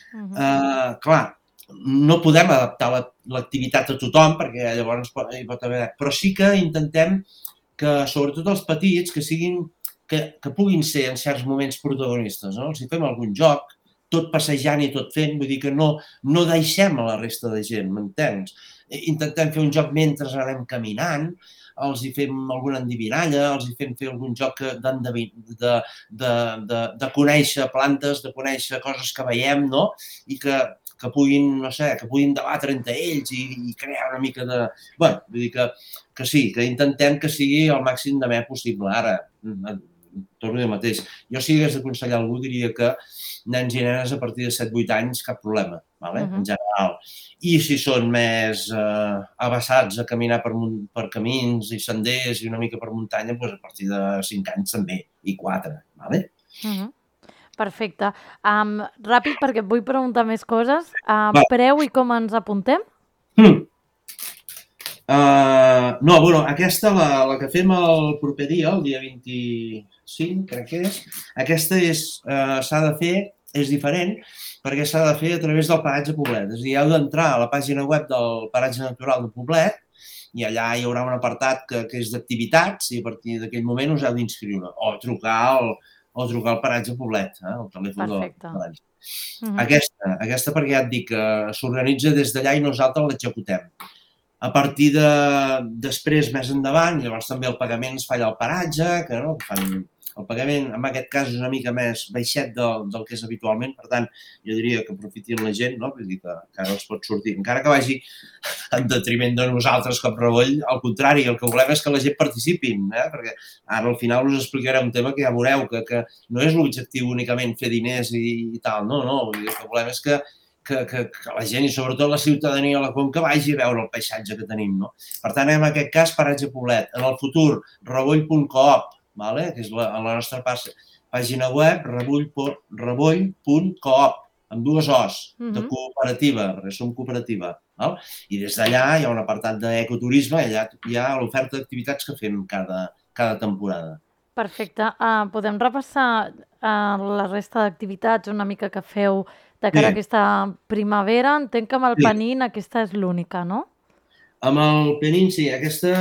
Uh -huh. uh, clar, no podem adaptar l'activitat a tothom perquè llavors hi pot haver... Però sí que intentem que, sobretot els petits, que siguin, que, que puguin ser en certs moments protagonistes, no? Si fem algun joc, tot passejant i tot fent, vull dir que no, no deixem a la resta de gent, m'entens? Intentem fer un joc mentre anem caminant, els hi fem alguna endivinalla, els hi fem fer algun joc de, de, de, de, de conèixer plantes, de conèixer coses que veiem, no? I que, que puguin, no sé, que puguin debatre entre ells i, i crear una mica de... Bé, vull dir que, que sí, que intentem que sigui el màxim d'amè possible. Ara, torno a dir el mateix. Jo si hagués d'aconsellar algú diria que nens i nenes a partir de set vuit anys, cap problema, vale? Uh-huh. En general. I si són més eh, abassats a caminar per, per camins i senders i una mica per muntanya, doncs a partir de cinc anys també, i quatre, vale? Uh-huh. Perfecte. Um, ràpid, perquè et vull preguntar més coses. Uh, preu i com ens apuntem? Mm. Uh, no, bueno, aquesta, la, la que fem el proper dia, el dia vint-i-cinc, crec que és, aquesta és, uh, s'ha de fer, és diferent, perquè s'ha de fer a través del Paratge Poblet. És a dir, heu d'entrar a la pàgina web del Paratge Natural de Poblet i allà hi haurà un apartat que, que és d'activitats i a partir d'aquell moment us heu d'inscriure o trucar al, o trucar al Paratge Poblet, eh, el telèfon del Paratge. Uh-huh. Aquesta, aquesta perquè ja et dic que s'organitza des d'allà i nosaltres l'executem. A partir de després, més endavant, llavors també el pagament es fa allà al paratge, que no, fan el pagament, en aquest cas, és una mica més baixet del, del que és habitualment, per tant, jo diria que aprofitin la gent, no? Vull dir que, que ara els pot sortir, encara que vagi en detriment de nosaltres com Revoll, al contrari, el que volem és que la gent participin, eh? Perquè ara al final us explicaré un tema que ja veureu, que, que no és l'objectiu únicament fer diners i, i tal, no, no, vull dir, el que volem és que Que, que, que la gent i sobretot la ciutadania de la Conca vagi a veure el paisatge que tenim, no? Per tant, en aquest cas, Paratge Poblet. En el futur, revoll punt coop, vale? Que és la, la nostra pàgina web, revoll punt coop, amb dues O's, uh-huh. de cooperativa, perquè som cooperativa. Val? I des d'allà hi ha un apartat d'ecoturisme, allà hi ha l'oferta d'activitats que fem cada, cada temporada. Perfecte. Uh, podem repassar uh, la resta d'activitats una mica que feu de cara a aquesta primavera? Entenc que amb el sí. Penin aquesta és l'única, no? Amb el Penin, sí. Aquesta,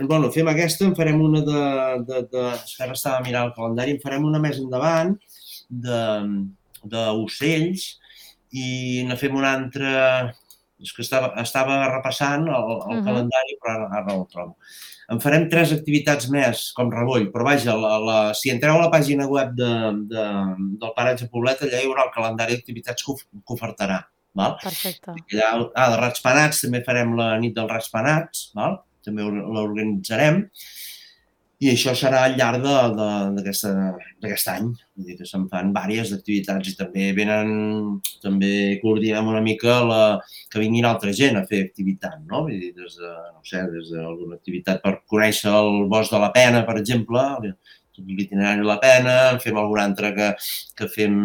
bueno, fem aquesta, en farem una de... de, de ara estava mirant el calendari, en farem una més endavant d'ocells i ne fem una altra... És que estava, estava repassant el, el uh-huh. calendari, però ara, ara no el trobo. En farem tres activitats més, com Revoll, però vaja, la, la, si entreu a la pàgina web de, de, del Paratge Poblet, allà hi haurà el calendari d'activitats que, que ofertarà. Val? Perfecte. Allà, ah, de Ratspanats, també farem la nit dels Ratspanats, val? També l'organitzarem, i això serà al llarg d'aquest any. Vull dir que se'n fan diverses activitats i també venen, també coordinem una mica la, que vinguin altra gent a fer activitat, no? Vull dir, des de, no sé, des d'alguna activitat per conèixer el Bosc de la Pena, per exemple, l'itinerari de la Pena, fem alguna altra que, que fem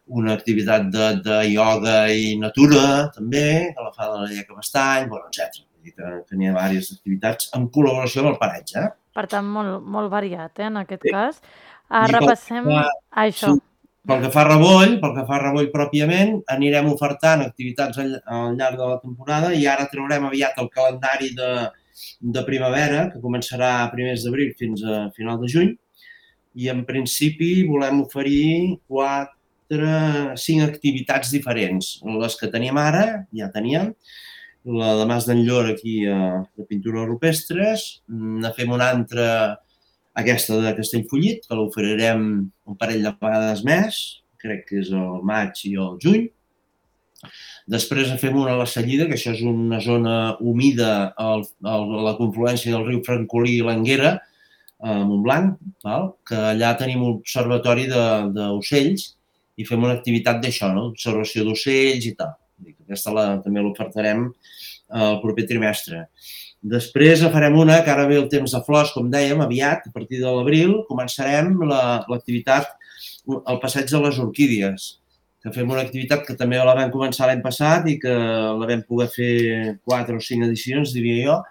una activitat de, de ioga i natura, també, que la fa de la Lleca Bastany, bueno, etcètera. Vull dir que, que n'hi ha diverses activitats en col·laboració amb el paratge, eh? Per tant, molt, molt variat, eh, en aquest sí. cas. Uh, repassem que, això. Sí, pel que fa a Revoll, pel que fa a Revoll pròpiament, anirem ofertant activitats al, al llarg de la temporada i ara traurem aviat el calendari de, de primavera, que començarà a primers d'abril fins a final de juny, i en principi volem oferir quatre, cinc activitats diferents. Les que teníem ara, ja teníem, la de Mas d'Enllor aquí de pintura rupestres, ne fem una altra, aquesta de Castellfollit, que l'oferirem un parell de vegades més, crec que és el maig i el juny. Després en fem una a la Cellida, que això és una zona humida a la confluència del riu Francolí i l'Anguera, a Montblanc, val? Que allà tenim un observatori d'ocells i fem una activitat d'això, no? Observació d'ocells i tal. Aquesta la, també l'ofertarem el proper trimestre. Després farem una, que ara ve el temps de flors, com dèiem, aviat, a partir de l'abril, començarem l'activitat, el passeig de les orquídies, que fem una activitat que també la vam començar l'any passat i que la vam poder fer quatre o cinc edicions, diria jo,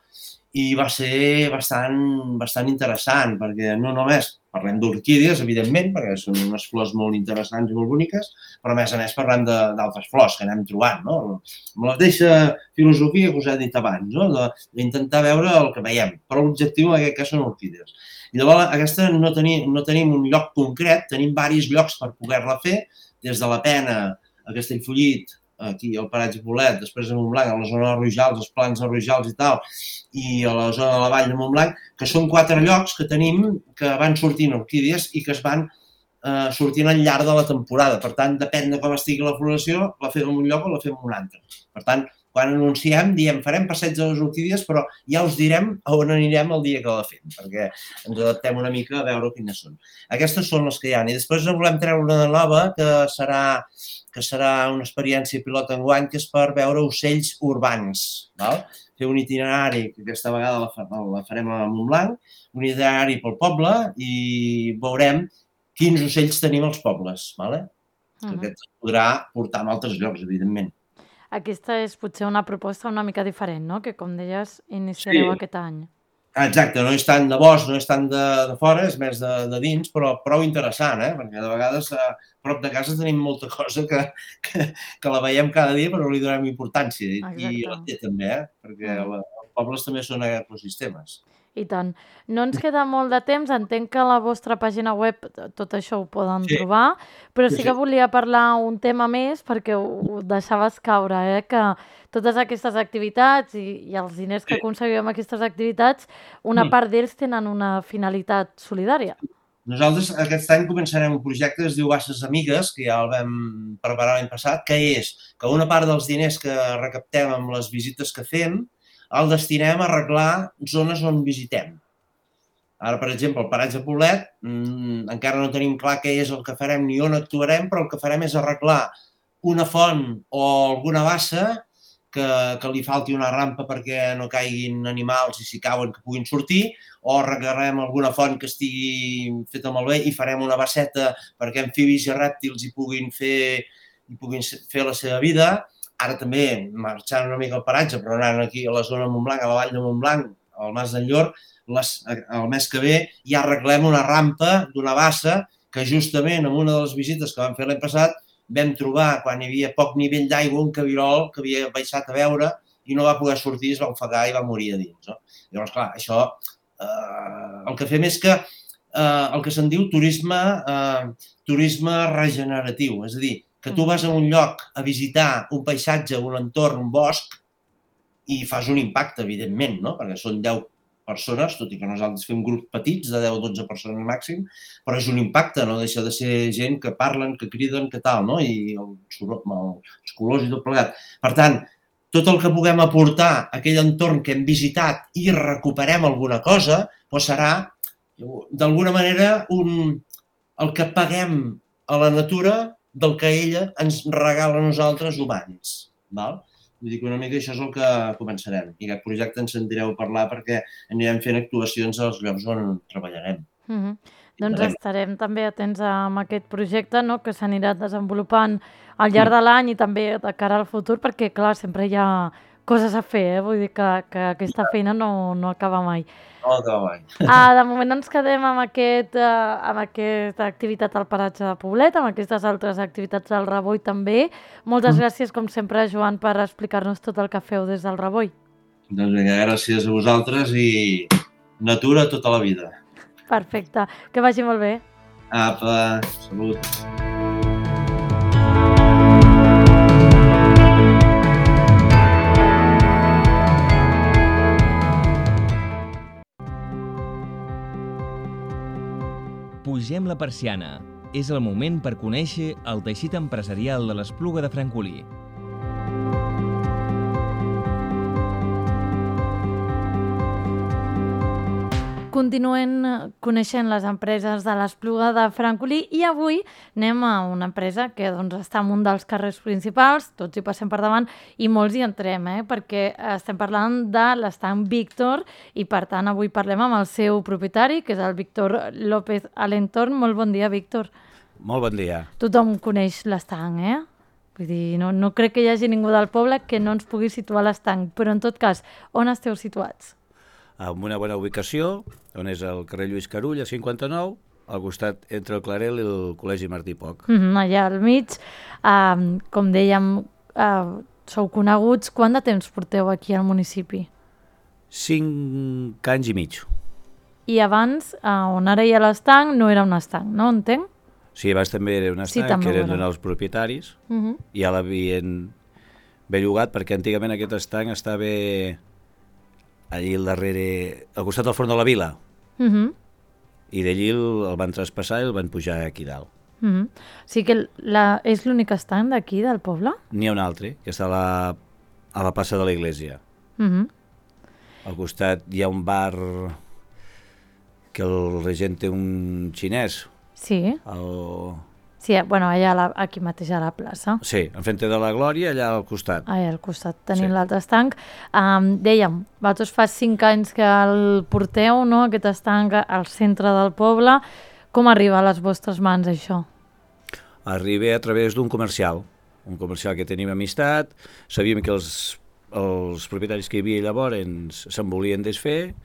i va ser bastant, bastant interessant, perquè no només parlem d'orquídies, evidentment, perquè són unes flors molt interessants i molt boniques, però a més a més parlem d'altres flors que anem trobant, no? Amb la mateixa filosofia que us he dit abans, no? D'intentar veure el que veiem, però l'objectiu en aquest cas són orquídies. I llavors aquesta no tenim, no tenim un lloc concret, tenim diversos llocs per poder-la fer, des de la Pena a Castellfollit, aquí al Paratge Poblet, després a Montblanc, a la zona de Rojals, els plans de Rojals i tal, i a la zona de la vall de Montblanc, que són quatre llocs que tenim que van sortint orquídies i que es van eh, sortint al llarg de la temporada. Per tant, depèn de com estigui la floració, la fem en un lloc o la fem en un altre. Per tant, quan anunciem, diem, farem passeig de les orquídies, però ja us direm on anirem el dia que la fem, perquè ens adaptem una mica a veure quines són. Aquestes són les que hi ha. I després en volem treure una nova, que serà que serà una experiència pilot enguany, que és per veure ocells urbans. Val? Fer un itinerari, que aquesta vegada la, la farem a Montblanc, un itinerari pel poble i veurem quins ocells tenim als pobles. Vale? Uh-huh. Aquest es podrà portar a altres llocs, evidentment. Aquesta és potser una proposta una mica diferent, no? Que, com deies, iniciareu sí. aquest any. Exacte, no és tant de bosc, no és tant de, de fora, és més de, de dins, però prou interessant, eh? Perquè de vegades a prop de casa tenim molta cosa que, que, que la veiem cada dia però no li donem importància. Exacte. I la té també, eh? Perquè la, els pobles també són ecosistemes. I tant. No ens queda molt de temps, entenc que a la vostra pàgina web tot això ho poden sí. trobar, però sí, sí que volia parlar un tema més perquè ho, ho deixaves caure, eh? Que totes aquestes activitats i, i els diners que aconseguim amb aquestes activitats, una part d'ells tenen una finalitat solidària. Nosaltres aquest any començarem un projecte que es diu Basses Amigues, que ja el vam preparar l'any passat, que és que una part dels diners que recaptem amb les visites que fem el destinem a arreglar zones on visitem. Ara, per exemple, al Paratge Poblet, mmm, encara no tenim clar què és el que farem ni on actuarem, però el que farem és arreglar una font o alguna bassa que, que li falti una rampa perquè no caiguin animals i si cauen que puguin sortir, o arreglarem alguna font que estigui feta molt bé i farem una basseta perquè amfibis i rèptils hi puguin fer, hi puguin fer la seva vida. Ara també, marxant una mica al paratge, però anant aquí a la zona de Montblanc, a la vall de Montblanc, al Mas d'Enllor, les, el mes que ve ja arreglem una rampa d'una bassa que justament en una de les visites que vam fer l'any passat vam trobar, quan hi havia poc nivell d'aigua, un cabirol que havia baixat a veure i no va poder sortir, es va ofegar i va morir a dins. No? Llavors, clar, això eh, el que fem és que eh, el que se'n diu turisme, eh, turisme regeneratiu, és a dir, que tu vas a un lloc a visitar un paisatge, un entorn, un bosc, i fas un impacte, evidentment, no? Perquè són deu persones, tot i que nosaltres fem grups petits, de deu a dotze persones màxim, però és un impacte, no deixa de ser gent que parlen, que criden, que tal, no? I els, els colors i tot plegat. Per tant, tot el que puguem aportar a aquell entorn que hem visitat i recuperem alguna cosa, doncs serà, d'alguna manera, un, el que paguem a la natura del que ella ens regala a nosaltres humans. Val? Vull dir que una mica això és el que començarem. I aquest projecte ens sentireu a parlar perquè anirem fent actuacions als llocs on treballarem. Mm-hmm. Doncs estarem també atents amb aquest projecte, no?, que s'anirà desenvolupant al llarg de l'any i també de cara al futur, perquè, clar, sempre hi ha coses a fer, eh? Vull dir que, que aquesta feina no, no acaba mai. No acaba mai. Ah, de moment ens quedem amb, aquest, uh, amb aquesta activitat al Paratge de Poblet, amb aquestes altres activitats del Reboi també. Moltes mm. gràcies, com sempre, Joan, per explicar-nos tot el que feu des del Reboi. Doncs vinga, gràcies a vosaltres i natura tota la vida. Perfecte. Que vagi molt bé. Apa, salut. Pugem la persiana. És el moment per conèixer el teixit empresarial de l'Espluga de Francolí. continuem coneixent les empreses de l'Espluga de Francolí i avui anem a una empresa que doncs, està en un dels carrers principals, tots hi passem per davant i molts hi entrem, eh? Perquè estem parlant de l'estanc Víctor i per tant avui parlem amb el seu propietari, que és el Víctor López Alentorn. Molt bon dia, Víctor. Molt bon dia. Tothom coneix l'estanc, eh? Vull dir, no, no crec que hi hagi ningú del poble que no ens pugui situar l'estanc, però en tot cas, on esteu situats? En una bona ubicació, on és el carrer Lluís Carull, a cinquanta-nou, al costat entre el Clarel i el Col·legi Martí Poch. Mm-hmm, allà al mig, uh, com dèiem, uh, sou coneguts. Quant de temps porteu aquí al municipi? Cinc anys i mig. I abans, uh, on ara hi ha l'estanc, no era un estanc, no? Entenc? Sí, abans també era un estanc, sí, que eren donar els propietaris, uh-huh. i ja l'havien bellugat, perquè antigament aquest estanc estava allí al darrere, al costat del front de la vila, uh-huh. i d'allí el, el van traspassar i el van pujar aquí dalt. Uh-huh. O sigui que la, és l'únic estanc d'aquí, del poble? N'hi ha un altre, que està a la, a la plaça de l'església. Uh-huh. Al costat hi ha un bar que el regent té un xinès. Sí. El... Sí, bueno, allà la, aquí mateix a la plaça. Sí, enfrente de la Glòria, allà al costat. Allà al costat tenim Sí. l'altre estanc. Um, dèiem, vosaltres fa cinc anys que el porteu, no?, aquest estanc al centre del poble. Com arriba a les vostres mans, això? Arriba a través d'un comercial, un comercial que tenim amistat, sabíem que els, els propietaris que hi havia llavors se'n volien desfer,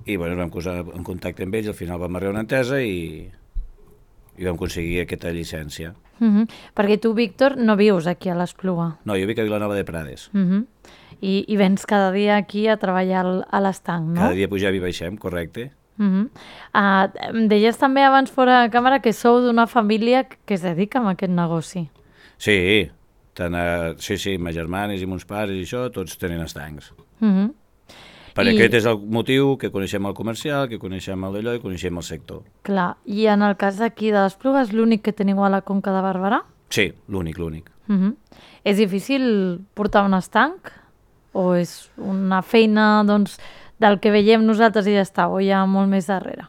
i bueno, ens vam posar en contacte amb ells, al final vam arribar a una entesa i, i vam aconseguir aquesta llicència. Uh-huh. Perquè tu, Víctor, no vius aquí a l'Espluga. No, jo vic a Vilanova de Prades. Uh-huh. I, I vens cada dia aquí a treballar al, a l'estanc, no? Cada dia pugem i baixem, correcte. Uh-huh. Uh, em deies també abans fora de càmera que sou d'una família que es dedica a aquest negoci. Sí, tant a, sí, sí, ma germanes i mons pares i això, tots tenen estancs. Uh-huh. Per I... aquest és el motiu que coneixem el comercial, que coneixem el d'allò i coneixem el sector. Clar, i en el cas d'aquí de l'Espluga és l'únic que teniu a la Conca de Barberà? Sí, l'únic, l'únic. Uh-huh. És difícil portar un estanc? O és una feina, doncs, del que veiem nosaltres i ja està, o hi ha molt més darrere?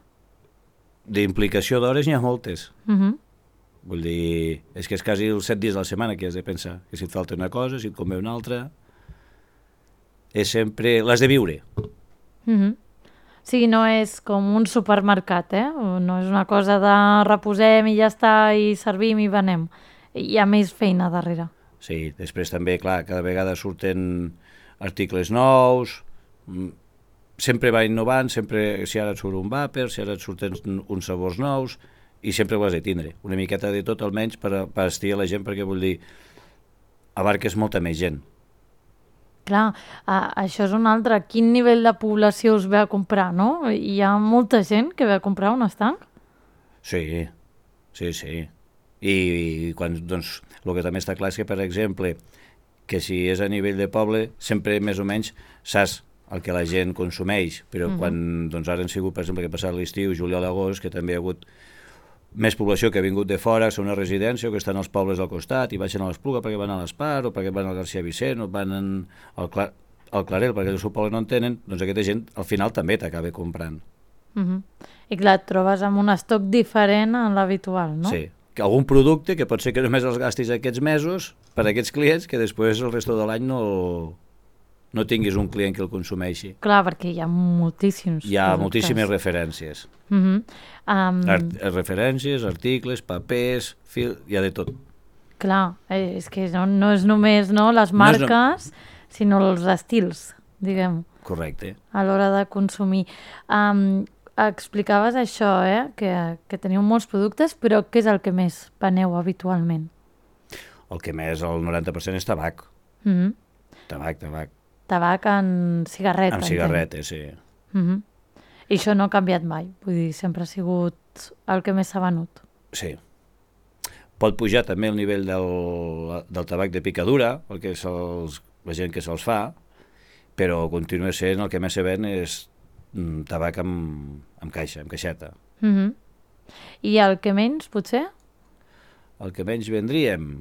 D'implicació d'hores n'hi ha moltes. Uh-huh. Vull dir, és que és quasi els set dies de la setmana que has de pensar, que si et falta una cosa, si et convé una altra... És sempre... l'has de viure. Uh-huh. O sigui, no és com un supermercat, eh? No és una cosa de reposem i ja està, i servim i venem. Hi ha més feina darrere. Sí, després també, clar, cada vegada surten articles nous, sempre va innovant, sempre, si ara et surt un vàper, si ara et surten uns sabors nous, i sempre ho has de tindre. Una miqueta de tot, almenys, per, per estirar la gent, perquè vull dir, abarques molta més gent. Clar, uh, això és un altre. Quin nivell de població us ve a comprar, no? Hi ha molta gent que ve a comprar un estanc? Sí, sí, sí. I, i quan, doncs, el que també està clar és que, per exemple, que si és a nivell de poble, sempre més o menys saps el que la gent consumeix, però uh-huh. quan, doncs ara han sigut, per exemple, que ha passat l'estiu, juliol, agost, que també hi ha hagut més població que ha vingut de fora, a una residència o que estan als pobles al costat i baixen a l'Espluga perquè van a l'Espar o perquè van al García Vicent o van al, Cla al Clarel perquè el seu poble no en tenen, doncs aquesta gent al final també t'acaba comprant. Uh-huh. I clar, et trobes amb un estoc diferent a l'habitual, no? Sí, que algun producte que pot ser que només els gastis aquests mesos per a aquests clients que després el resto de l'any no, no tinguis un client que el consumeixi. Clar, perquè hi ha moltíssims Hi ha productes. moltíssimes referències. Uh-huh. um... Art referències, articles, papers, fil... hi ha de tot. Clar, eh, és que no, no és només no, les marques, no no... sinó els estils, diguem. Correcte. A l'hora de consumir. Um, explicaves això, eh? que, que teniu molts productes, però què és el que més veneu habitualment? El que més, el noranta per cent és tabac. Uh-huh. Tabac, tabac. Tabac en cigarret. Amb cigarretes, sí. Uh-huh. I això no ha canviat mai, vull dir, sempre ha sigut el que més s'ha venut. Sí. Pot pujar també el nivell del, del tabac de picadura, el que se'ls, la gent que se'ls fa, però continua sent el que més se ven és mm, tabac amb, amb caixa, amb caixeta. Uh-huh. I el que menys, potser? El que menys vendríem,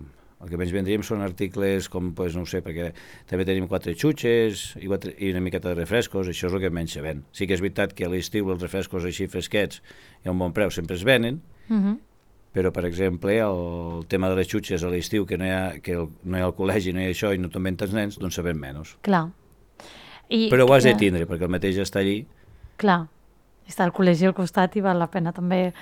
El que menys vendríem són articles com, pues, no ho sé, perquè també tenim quatre xutxes i, quatre, i una miqueta de refrescos, això és el que menys se ven. Sí que és veritat que a l'estiu els refrescos així fresquets i a un bon preu sempre es venen, Uh-huh. però, per exemple, el tema de les xutxes a l'estiu, que no hi ha, que el, no hi ha el col·legi, no hi ha això, i no te'n ven tants nens, doncs se ven menys. Clar. I, Però ho has de eh, tindre, perquè el mateix està allí. Clar. Està al col·legi al costat i val la pena també...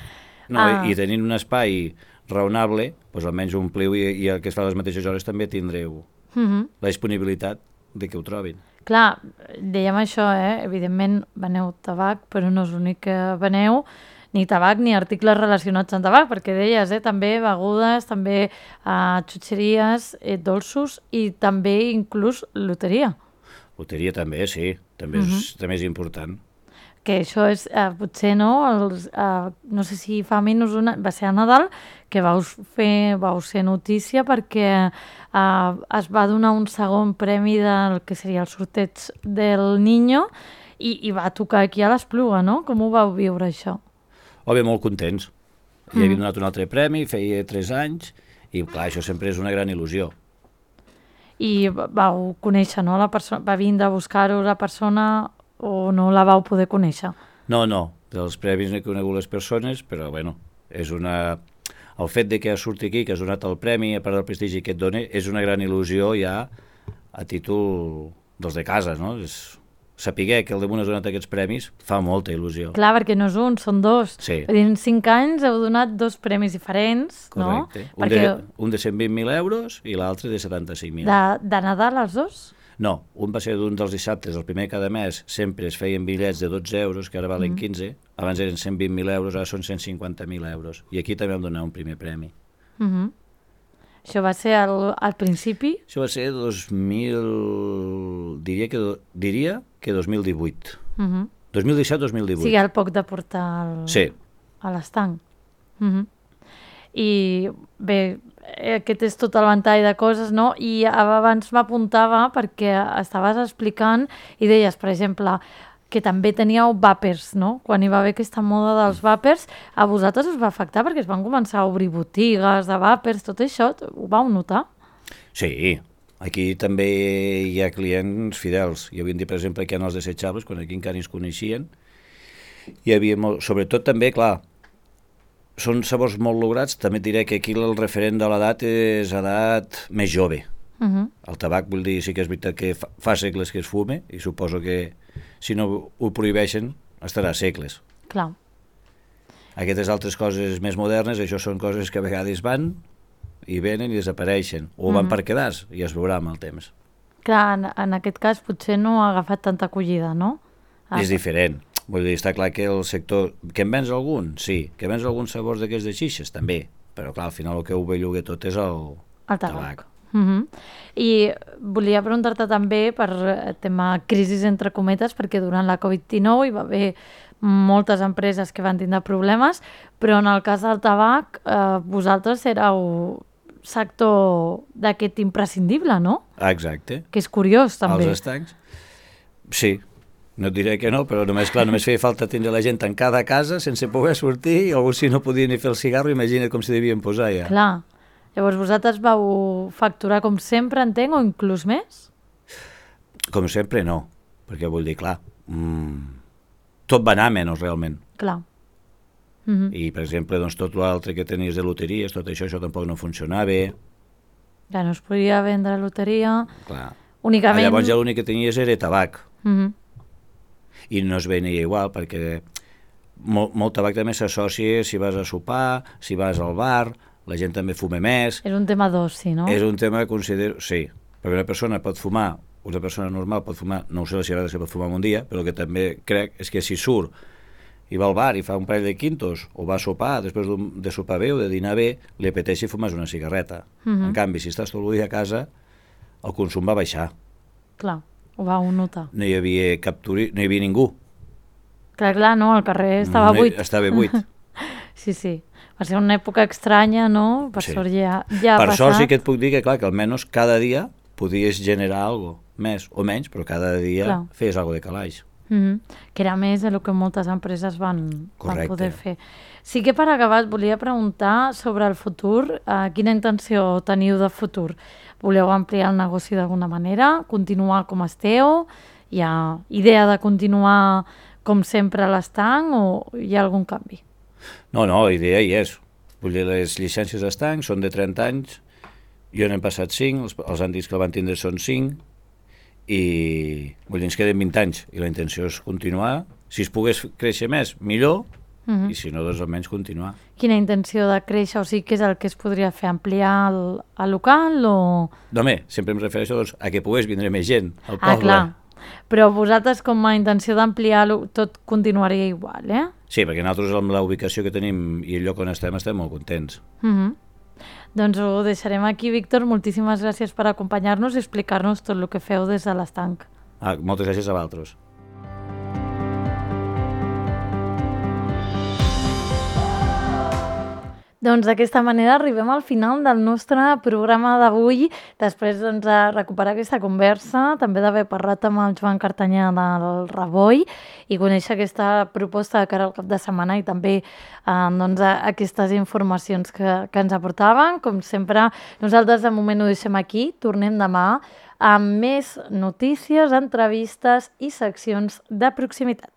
No, Ah. i, i tenint un espai raonable, doncs almenys ompliu i, i el que es fa a les mateixes hores també tindreu Uh-huh. la disponibilitat de que ho trobin. Clar, dèiem això, eh? Evidentment veneu tabac, però no és l'únic que veneu, ni tabac ni articles relacionats amb tabac, perquè deies, eh? També begudes, també eh, xutxeries, eh, dolços i també inclús loteria. Loteria també, sí, també, Mhm. és, també és important. Que això és, eh, potser, no? Els, eh, no sé si fa menys una... Va ser a Nadal, que vau fer, vau ser notícia perquè eh, es va donar un segon premi del que seria el sorteig del Niño i, i va tocar aquí a l'Espluga, no? Com ho vau viure, això? O bé, molt contents. Mm. Hi havia donat un altre premi, feia tres anys, i clar, això sempre és una gran il·lusió. I vau conèixer, no? La persona, va vindre a buscar-ho la persona o no la vau poder conèixer? No, no, dels premis no he conegut les persones, però bueno, és una... El fet de que surti aquí, que has donat el premi, a part del prestigi que et dona, és una gran il·lusió ja a títol dels de casa, no? És... Saber que el damunt has donat aquests premis fa molta il·lusió. Clar, perquè no és un, són dos. Sí. Vull dir, en cinc anys heu donat dos premis diferents, Correcte. no? Un, Perquè de, un de cent vint mil euros i l'altre de setanta-cinc mil. de, de Nadal els dos? No, un va ser d'un dels dissabtes, el primer cada mes, sempre es feien bitllets de dotze euros, que ara valen Mm. quinze, abans eren cent vint mil euros, ara són cent cinquanta mil euros. I aquí també vam donar un primer premi. Uh -huh. Això va ser al, al principi? Això va ser dos mil... diria que, do- diria que dos mil divuit. Uh -huh. dos mil disset dos mil O divuit. sigui, al poc de portar el, Sí. a l'estanc. Uh -huh. I bé, eh, aquest és tot el ventall de coses, no? I abans m'apuntava perquè estaves explicant i deies, per exemple, que també teníeu vàpers, no? Quan hi va haver aquesta moda dels vàpers, a vosaltres us va afectar perquè es van començar a obrir botigues de vàpers, tot això, ho vau notar? Sí, aquí també hi ha clients fidels. Hi havia dit, per exemple, que en els desechables, quan aquí encara ens coneixien, hi havia molt... Sobretot també, clar, són sabors molt lograts, també et diré que aquí el referent de l'edat és edat més jove. Uh -huh. El tabac, vull dir, sí que és veritat que fa, fa segles que es fume, i suposo que si no ho prohibeixen estarà segles. Clar. Aquestes altres coses més modernes, això són coses que a vegades van i venen i desapareixen, o van Mhm. per quedar-se, i es veurà amb el temps. Clar, en, en aquest cas potser no ha agafat tanta acollida, no? Ah, És diferent. Vull dir, està clar que el sector... Que en vens algun? Sí. Que vens alguns sabors d'aquests de xixes? També. Però clar, al final el que ho belluga tot és el, el tabac. Uh -huh. I volia preguntar-te també per eh, tema crisis entre cometes, perquè durant la covid dinou hi va haver moltes empreses que van tindre problemes, però en el cas del tabac eh, vosaltres éreu sector d'aquest imprescindible, no? Ah, exacte. Que és curiós també. Els estancs? Sí. No et diré que no, però només, clar, només feia falta tindre la gent tancada a casa sense poder sortir, i alguns si no podien ni fer el cigarro, imagina't com s'hi devien posar ja. Clar. Llavors vosaltres vau facturar com sempre, entenc, o inclús més? Com sempre no, perquè vull dir, clar, mmm, tot va anar menys realment. Clar. Uh -huh. I, per exemple, doncs, tot l'altre que tenies de loteries, tot això, això tampoc no funcionava. Ja no es podia vendre loteria. Clar. Únicament... Llavors ja l'únic que tenies era tabac. Uh -huh. I no es venia igual, perquè molt, molt tabac també s'associa si vas a sopar, si vas al bar, la gent també fuma més. És un tema d'oci, no? És un tema que considero... Sí, perquè una persona pot fumar, una persona normal pot fumar, no ho sé si ara se pot fumar un dia, però el que també crec és que si surt i va al bar i fa un parell de quintos, o va a sopar, després de sopar bé o de dinar bé, li apeteixi fumar una cigarreta. Uh -huh. En canvi, si estàs tot el dia a casa, el consum va baixar. Clar, ho vau notar. No hi havia cap turi... no hi havia ningú. Clar, clar, no, el carrer estava No hi- buit. Estava buit. Sí, sí. Va ser una època estranya, no? Per Sí. sort ja, ja ha Per passat. sort sí que et puc dir que, clar, que almenys cada dia podies generar alguna més o menys, però cada dia Clar. feies alguna de calaix. Mm-hmm. Que era més el que moltes empreses van, van Correcte. poder fer. Sí que per acabar et volia preguntar sobre el futur. Eh, quina intenció teniu de futur? Voleu ampliar el negoci d'alguna manera? Continuar com esteu? Hi ha idea de continuar com sempre a l'estanc o hi ha algun canvi? No, no, idea hi és. Vull dir, les llicències d'estanc són de trenta anys, jo n'hem passat cinc, els, els antics que el van tindre són cinc, i vull dir, ens queden vint anys, i la intenció és continuar. Si es pogués créixer més, millor, Mm-hmm. i si no, doncs almenys continuar. Quina intenció de créixer? O sigui, què és el que es podria fer? Ampliar el, el local o...? No, home, sempre em refereixo doncs, a que pogués vindre més gent al Ah, poble. clar. Però vosaltres, com a intenció d'ampliar-lo, tot continuaria igual, eh? Sí, perquè nosaltres amb la ubicació que tenim i el lloc on estem, estem molt contents. Mm-hmm. Doncs ho deixarem aquí, Víctor. Moltíssimes gràcies per acompanyar-nos i explicar-nos tot el que feu des de l'estanc. Ah, moltes gràcies a vosaltres. Doncs d'aquesta manera arribem al final del nostre programa d'avui, després doncs, de recuperar aquesta conversa, també d'haver parlat amb el Joan Cartanyà del Ravoi i conèixer aquesta proposta de cara al cap de setmana i també eh, doncs, aquestes informacions que, que ens aportaven. Com sempre, nosaltres de moment ho deixem aquí, tornem demà amb més notícies, entrevistes i seccions de proximitat.